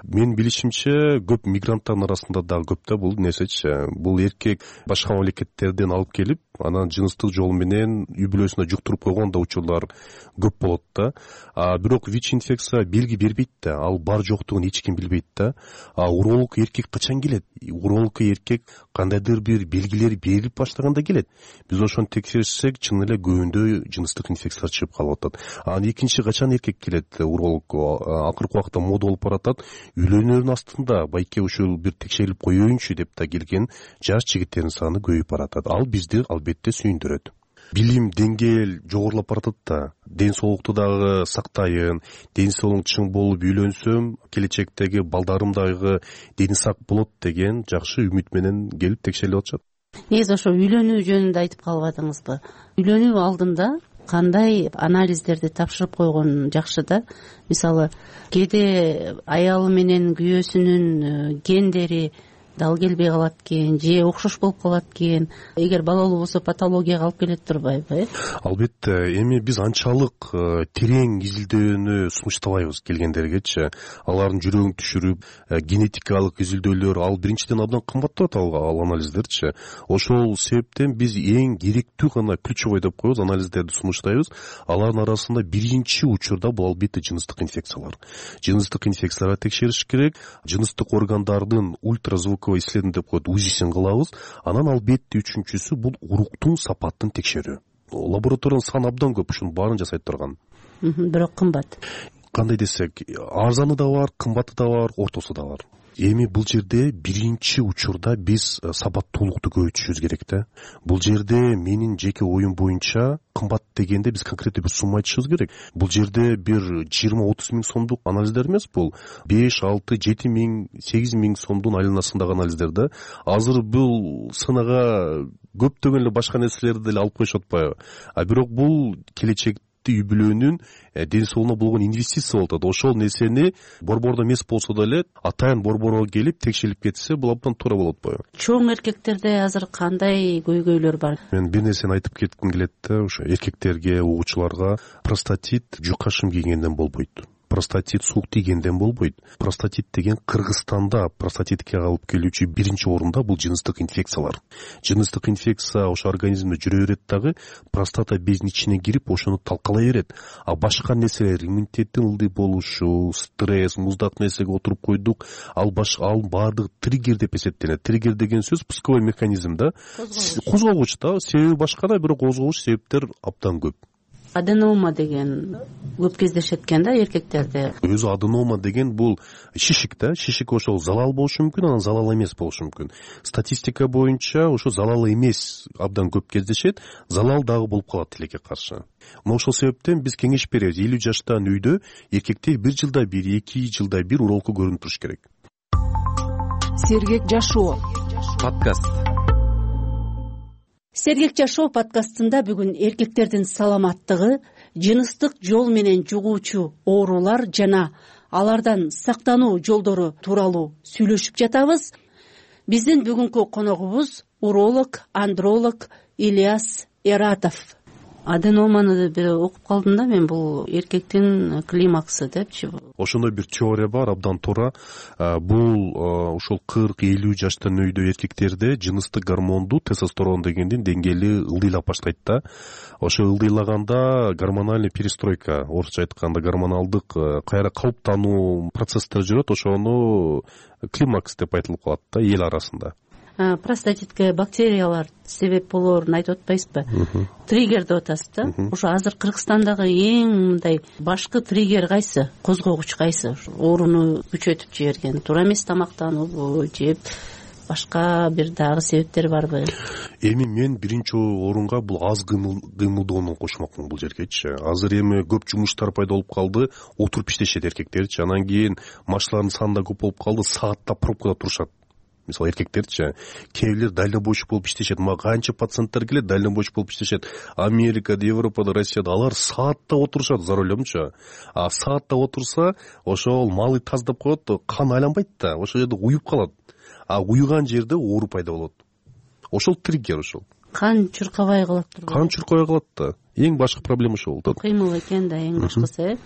Мен билишимче көп мигранттардын арасында дагы көп да бул нерсечи. Бул эркек башка мамлекеттерден алып келип, анан жыныстык жол менен үй бүлөсүнө жуктуруп койгон да учурлар көп болот да. А бирок ВИЧ инфекция белги бербейт да. Ал бар жоктугун эч ким билбейт да. А уролог эркек качан келет? Уролог эркек кандайдыр бир белгилер берилип баштаганда келет. Биз ошону текшерсек, чын эле көбүндө жыныстык инфекциялар чыгып калып атат. Анан экинчи качан эркек келет? Уролог акыркы убакта мода болуп баратат. Үйлөнүүнүн астында байке ушул бир текшерилип коеюнчу деп да келген жаш жигиттердин саны көбөйүп баратат. Ал бизди албетте сүйүндүрөт. Билим деңгээл жогорулап баратат да. Ден соолукту дагы сактайын, ден соолугум чың болуп үйлөнсөм, келечектеги балдарым дагы дени сак болот деген жакшы үмүт менен келип текшерилип атышат. Негизи ошо үйлөнүү жөнүндө айтып калып атыңызбы? Үйлөнүү алдында кандай анализдерди тапшырып койгон жакшы да? Мисалы, кээде аялы менен күйөөсүнүн гендери дал келбей калат экен, же окшош болуп калат экен. Эгер балалуу болсо патологияга алып келет турбайбы? Албетте. Эми биз анчалык терең изилдөөнү сунуштабайбыз келгендергечи. Алардын жүрөгүн түшүрүп, генетикалык изилдөөлөр, ал биринчиден абдан кымбаттап атат ал анализдерчи. Ошол себептен биз эң керектүү гана ключевой деп коебуз, анализдерди сунуштайбыз. Алардын арасында биринчи учурда бул албетте жыныстык инфекциялар. Жыныстык инфекцияларга текшериш керек. Жыныстык органдардын ультразвуковой исследование деп коет, УЗИсин кылабыз. Анан албетте үчүнчүсү бул уруктун сапатын текшерүү. Лабораториянын саны абдан көп, ушунун баарын жасай турган. Бирок кымбат. Кандай десек, арзаны да бар, кымбаты да бар, ортосу да бар. Эми бул жерде биринчи учурда биз сабаттуулукту көбөйтүшүбүз керек да. Бул жерде менин жеке оюм боюнча кымбат дегенде биз конкреттүү бир сумма айтышыбыз керек. Бул жерде бир жыйырма отуз миң сомдук анализдер эмес, бул беш, алты, жети миң, сегиз миң сомдун айланасындагы анализдер да. Азыр бул сынага көптөгөн эле башка нерселерди деле алып коюшуп атпайбы? А бирок бул келечек үй бүлөнүн ден соолугуна болгон инвестиция болуп атат. Ошол нерсени борбордо эмес болсо деле атайын борборго келип текшерилип кетсе, бул абдан туура болот атпайбы? Чоң эркектерде азыр кандай көйгөйлөр бар? Мен бир нерсени айтып кетким келет да, ошо эркектерге, угуучуларга простатит жука шым кийгенден болбойт. Простатит суук тийгенден болбойт. Простатит деген Кыргызстанда простатитке алып келүүчү биринчи орунда бул жыныстык инфекциялар. Жыныстык инфекция ошо организмде жүрө берет дагы, простата безинин ичине кирип ошону талкалай берет. А башка нерселер, иммунитеттин ылдый болушу, стресс, муздак нерсеге отуруп койдук, ал башка ал баардыгы триггер деп эсептелет. Триггер деген сөз пусковой механизм да. Козгогуч да, себеби башка да, бирок козгогуч себептер абдан көп. Аденома деген көп кездешет экен да эркектерде. Өзү аденома деген бул шишик да, шишик ошол залал болушу мүмкүн, анан залал эмес болушу мүмкүн. Статистика боюнча ошо залал эмес абдан көп кездешет, залал дагы болуп калат тилекке каршы. Мына ошол себептен биз кеңеш беребиз, элүү жаштан үйдө эркектер бир жылда бир, эки жылда бир урологко көрүнүп туруш керек. Сергек жашоо подкаст. Сергек жашоо подкастында бүгүн эркектердин саламаттыгы, жыныстык жол менен жугуучу оорулар жана алардан сактануу жолдору тууралуу сүйлөшүп жатабыз. Биздин бүгүнкү коногубуз уролог, андролог Ильяс Эратов. Аденоманы бир окуп калдым да мен, бул эркектин климаксы депчи. Ошондой бир теория бар, абдан туура. Бул ошол кырк элүү жаштан өйдө эркектерде жыныстык гормонду, тестостерон дегендин деңгээли ылдыйлап баштайт да. Ошо ылдыйлаганда гормональный перестройка, орусча айтканда гормоналдык кайра калыптануу процесстер жүрөт, ошону климакс деп айтылып калат да эл арасында. простатитке бактериялар себеп болоорун айтып атпайсызбы? Триггер деп атасыз да. Ошо азыр Кыргызстандагы эң мындай башкы триггер кайсы? Козгогуч кайсы? Ооруну күчөтүп жиберген туура эмес тамактануубу же башка бир дагы себептер барбы? Эми мен биринчи орунга бул аз кыймылдоону кошмокмун бул жергечи. Азыр эми көп жумуштар пайда болуп калды, отуруп иштешет эркектерчи. Анан кийин машиналардын саны да көп болуп калды, сааттап пробкада турушат. Мисалы эркектерчи, кээ бирлер дальнобойщик болуп иштешет. Мага канча пациенттер келет, дальнобойщик болуп иштешет. Америкада, Европада, Россияда алар сааттап отурушат за рулемчи. А сааттап отурса, ошол малы таздап коет, кан айланбайт да, ошол жерде уюп калат. А уюган жерде оору пайда болот. Ошол триггер ошол. Кан чуркабай калат турбайбы? Кан чуркабай калат да. Эң башкы проблема ошол болот. Кыймыл экен да эң башкысы, э.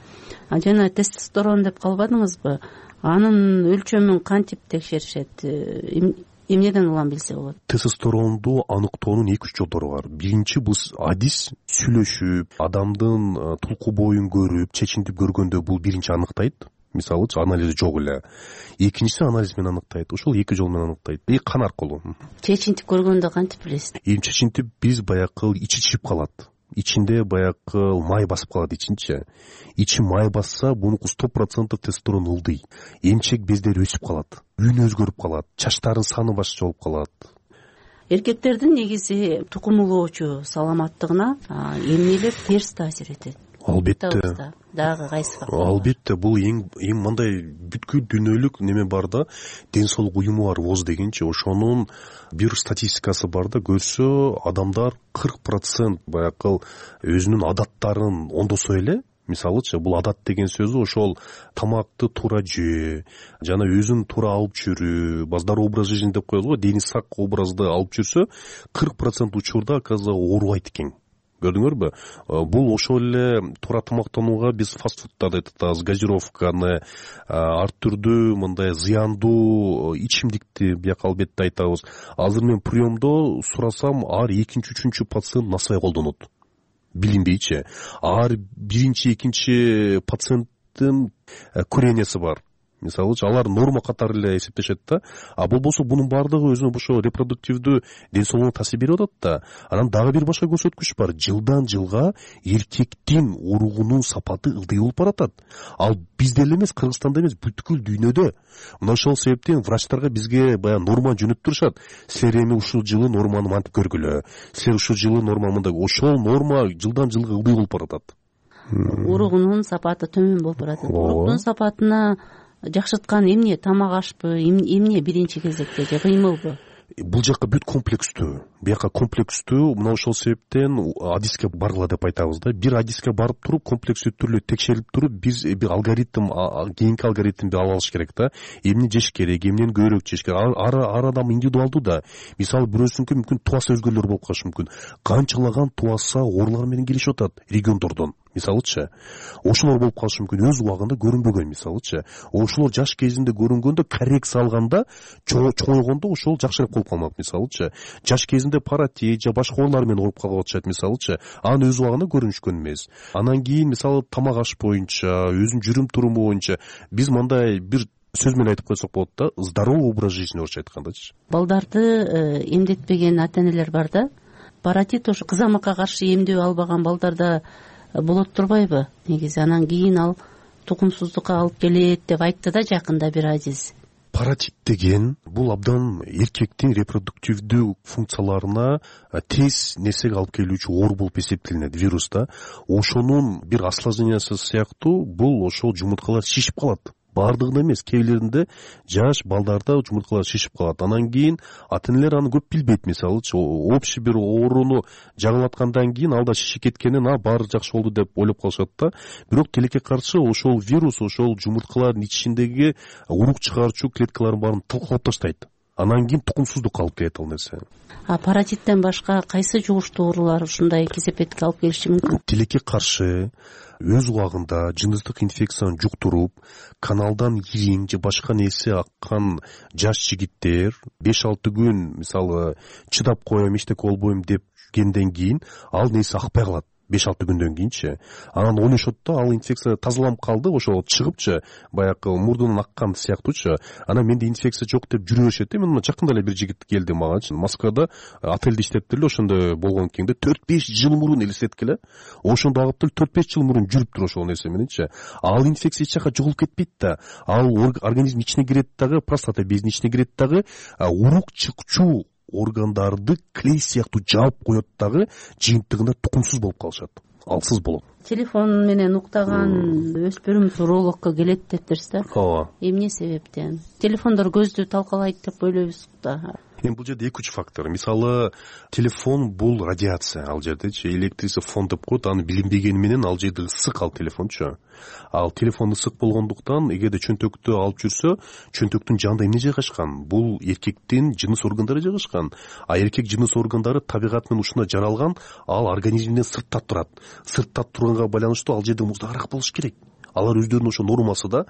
А жана тестостерон деп калбадыңызбы? Анын өлчөмүн кантип текшеришет? Эмнеден улам билсе болот? Тестостеронду аныктоонун эки үч жолдору бар. Биринчи бул адис сүйлөшүп, адамдын тулку боюн көрүп, чечинтип көргөндө бул биринчи аныктайт. Мисалы, анализи жок эле. Экинчиси анализ менен аныктайт. Ошол эки жол менен аныктайт. И кан аркылуу. Чечинтип көргөндө кантип билесиз? Эми чечинтип биз баягы ичи чип калат. Ичинде баягы май басып калат ичинчи. Ичи май басса, бунуку сто процентов тестостерон ылдый. Эмчек бездери өсүп калат. Үнү өзгөрүп калат. Чачтардын саны башкача болуп калат. Эркектердин негизи тукум улоочу саламаттыгына эмнелер терс таасир этет? Албетте. Дагы кайсы фактор? Албетте, бул эң эң мындай бүткүл дүйнөлүк неме бар да, ден соолук уюму бар ВОЗ дегенчи, ошонун бир статистикасы бар да, көрсө адамдар кырк процент баягы өзүнүн адаттарын оңдосо эле, мисалычы, бул адат деген сөзү ошол тамакты туура жөө, жана өзүн туура алып жүрүү, здоровый образ жизни деп коебуз го, дени сак образды алып жүрсө, кырк процент учурда оказывается оорубайт экен. Көрдүңөрбү? Бул ошол эле туура тамактанууга биз фастфудтарды айтабыз, газировканы, ар түрдүү мындай зыяндуу ичимдикти бияка албетте айтабыз. Азыр мен приемдо сурасам, ар экинчи, үчүнчү пациент насвай колдонот. Билинбейчи. Ар биринчи, экинчи пациенттин курениясы бар. Мисалы, алар норма катары эле эсептешет да. А болбосо бунун баардыгы өзүнө ошо репродуктивдүү ден соолугуна таасир берип атат да. Анан дагы бир башка көрсөткүч бар. Жылдан жылга эркектин уругунун сапаты ылдый болуп баратат. Ал бизде эле эмес, Кыргызстанда эмес, бүткүл дүйнөдө. Мына ошол себептен врачтарга бизге баягы норма жөнөтүп турушат. Силер эми ушул жылы норманы мантип көргүлө. Силер ушул жылы норма мындай. Ошол норма жылдан жылга ылдый болуп баратат. Уругунун сапаты төмөн болуп баратат. Уругунун сапатына жакшырткан эмне? Тамак ашпы, эмне биринчи кезекте же кыймылбы? Бул жакка бүт комплекстүү. Бияка комплекстүү. Мына ошол себептен адиске баргыла деп айтабыз да. Бир адиске барып туруп, комплекстүү түрлүү текшерип туруп, биз бир алгоритм, кийинки алгоритмди ала алыш керек да. Эмне жеш керек, эмнени көбүрөөк жеш керек. Ар ар адам индивидуалдуу да. Мисалы, бирөөсүнүкү мүмкүн туасы өзгөлөр болуп калышы мүмкүн. Канчалаган туаса оорулар менен келишип атат региондордон. Мисалычы, ошолор болуп калышы мүмкүн, өз убагында көрүнбөгөн, мисалычы. Ошолор жаш кезинде көрүнгөндө, коррекция алганда, чоңойгондо ошол жакшыраак болуп калмак, мисалычы. Жаш кезинде паратит же башка оорулар менен ооруп калып атышат, мисалычы. Анын өз убагында көрүнүшкөн эмес. Анан кийин, мисалы, тамак аш боюнча, өзүнүн жүрүм туруму боюнча биз мындай бир сөз менен айтып койсок болот да, здоровый образ жизни орусча айткандачы. Балдарды эмдетпеген ата-энелер бар да. Паратит ошо кызамыкка каршы эмдөө албаган балдарда болот турбайбы? Негизи анан кийин ал тукумсуздукка алып келет деп айтты да жакында бир адис. Паратит деген бул абдан эркектин репродуктивдүү функцияларына тез нерсеге алып келүүчү оору болуп эсептелинет, вирус да. Ошонун бир осложнениясы сыяктуу бул ошол жумурткалар шишип калат. Бардыгында эмес, кээ бирлеринде жаш балдарда жумурткалар шишип калат. Анан кийин ата-энелер аны көп билбейт, мисалычы, общий бир ооруну жаңылаткандан кийин алда шишип кеткенин, а баары жакшы болду деп ойлоп калышат да. Бирок тилекке каршы ошол вирус ошол жумурткалардын ичиндеги урук чыгаруучу клеткалардын баарын талкалап таштайт. Анан кийин тукумсуздукка алып келет ал нерсе. А паратиттен башка кайсы жугуштуу оорулар ушундай кесепетке алып келиши мүмкүн? Тилекке каршы өз убагында жыныстык инфекцияны жуктуруп, каналдан ириң же башка нерсе аккан жаш жигиттер беш алты күн, мисалы, чыдап коем, эчтеке болбойм деп кенден кийин ал нерсе акпай калат. беш алты күндөн кийинчи анан ойношот да ал инфекция тазаланып калды, ошол чыгыпчы баягы мурдунан аккан сыяктуучу. Анан менде инфекция жок деп жүрө беришет да. Мен мына жакында эле бир жигит келди магачы, Москвада отелде иштептир эле, ошондо болгон кийинде төрт беш жыл мурун элестеткиле, ошондо агып деле төрт беш жыл мурун жүрүптүр ошол нерсе мененчи. Ал инфекция эч жака жоголуп кетпейт да, ал организм ичине кирет дагы, простата безинин ичине кирет дагы, урук чыкчу органдарды клей сыяктуу жаап коет дагы, жыйынтыгында тукумсуз болуп калышат, алсыз болот. Телефон менен уктаган өспүрүм урологко келет дептирсиз да. Ооба. Эмне себептен? Телефондор көздү талкалайт деп ойлойбуз да. Эми бул жерде эки үч фактор. Мисалы, телефон бул радиация, ал жердечи электричество фон деп коет, аны билинбегени менен ал жерде ысык ал телефончу. Ал телефон ысык болгондуктан эгерде чөнтөктү алып жүрсө, чөнтөктүн жанында эмне жайгашкан? Бул эркектин жыныс органдары жайгашкан. А эркек жыныс органдары табигат менен ушундай жаралган, ал организмден сыртта турат. Сыртта турганга байланыштуу ал жерде муздагыраак болуш керек. Алар өздөрүнүн ошо нормасы да,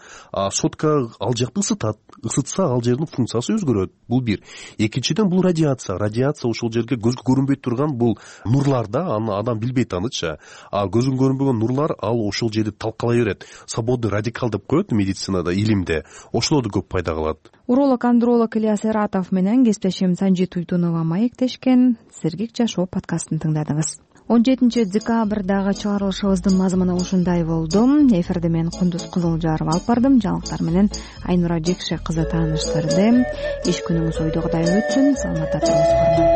сотка ал жакты ысытат. Ысытса ал жердин функциясы өзгөрөт. Бул бир. Экинчиден бул радиация. Радиация ошол жерге көзгө көрүнбөй турган бул нурлар да, аны адам билбейт анычы. А көзгө көрүнбөгөн нурлар ал ошол жерде талкалай берет. Свободный радикал деп коет медицинада, илимде. Ошолорду көп пайда кылат. Уролог-андролог Ильяс Эратов менен кесиптешим Санжи Туйтунова маектешкен. Сергек жашоо подкастын тыңдадыңыз. он жетинчи декабрдагы чыгарылышыбыздын мазмуну ушундай болду. Эфирде мен Кундуз Кызылжарова алып бардым. Жаңылыктар менен Айнура Жекше кызы тааныштырды. Иш күнүңүз ойдогудай өтсүн. Саламатта туруңуз.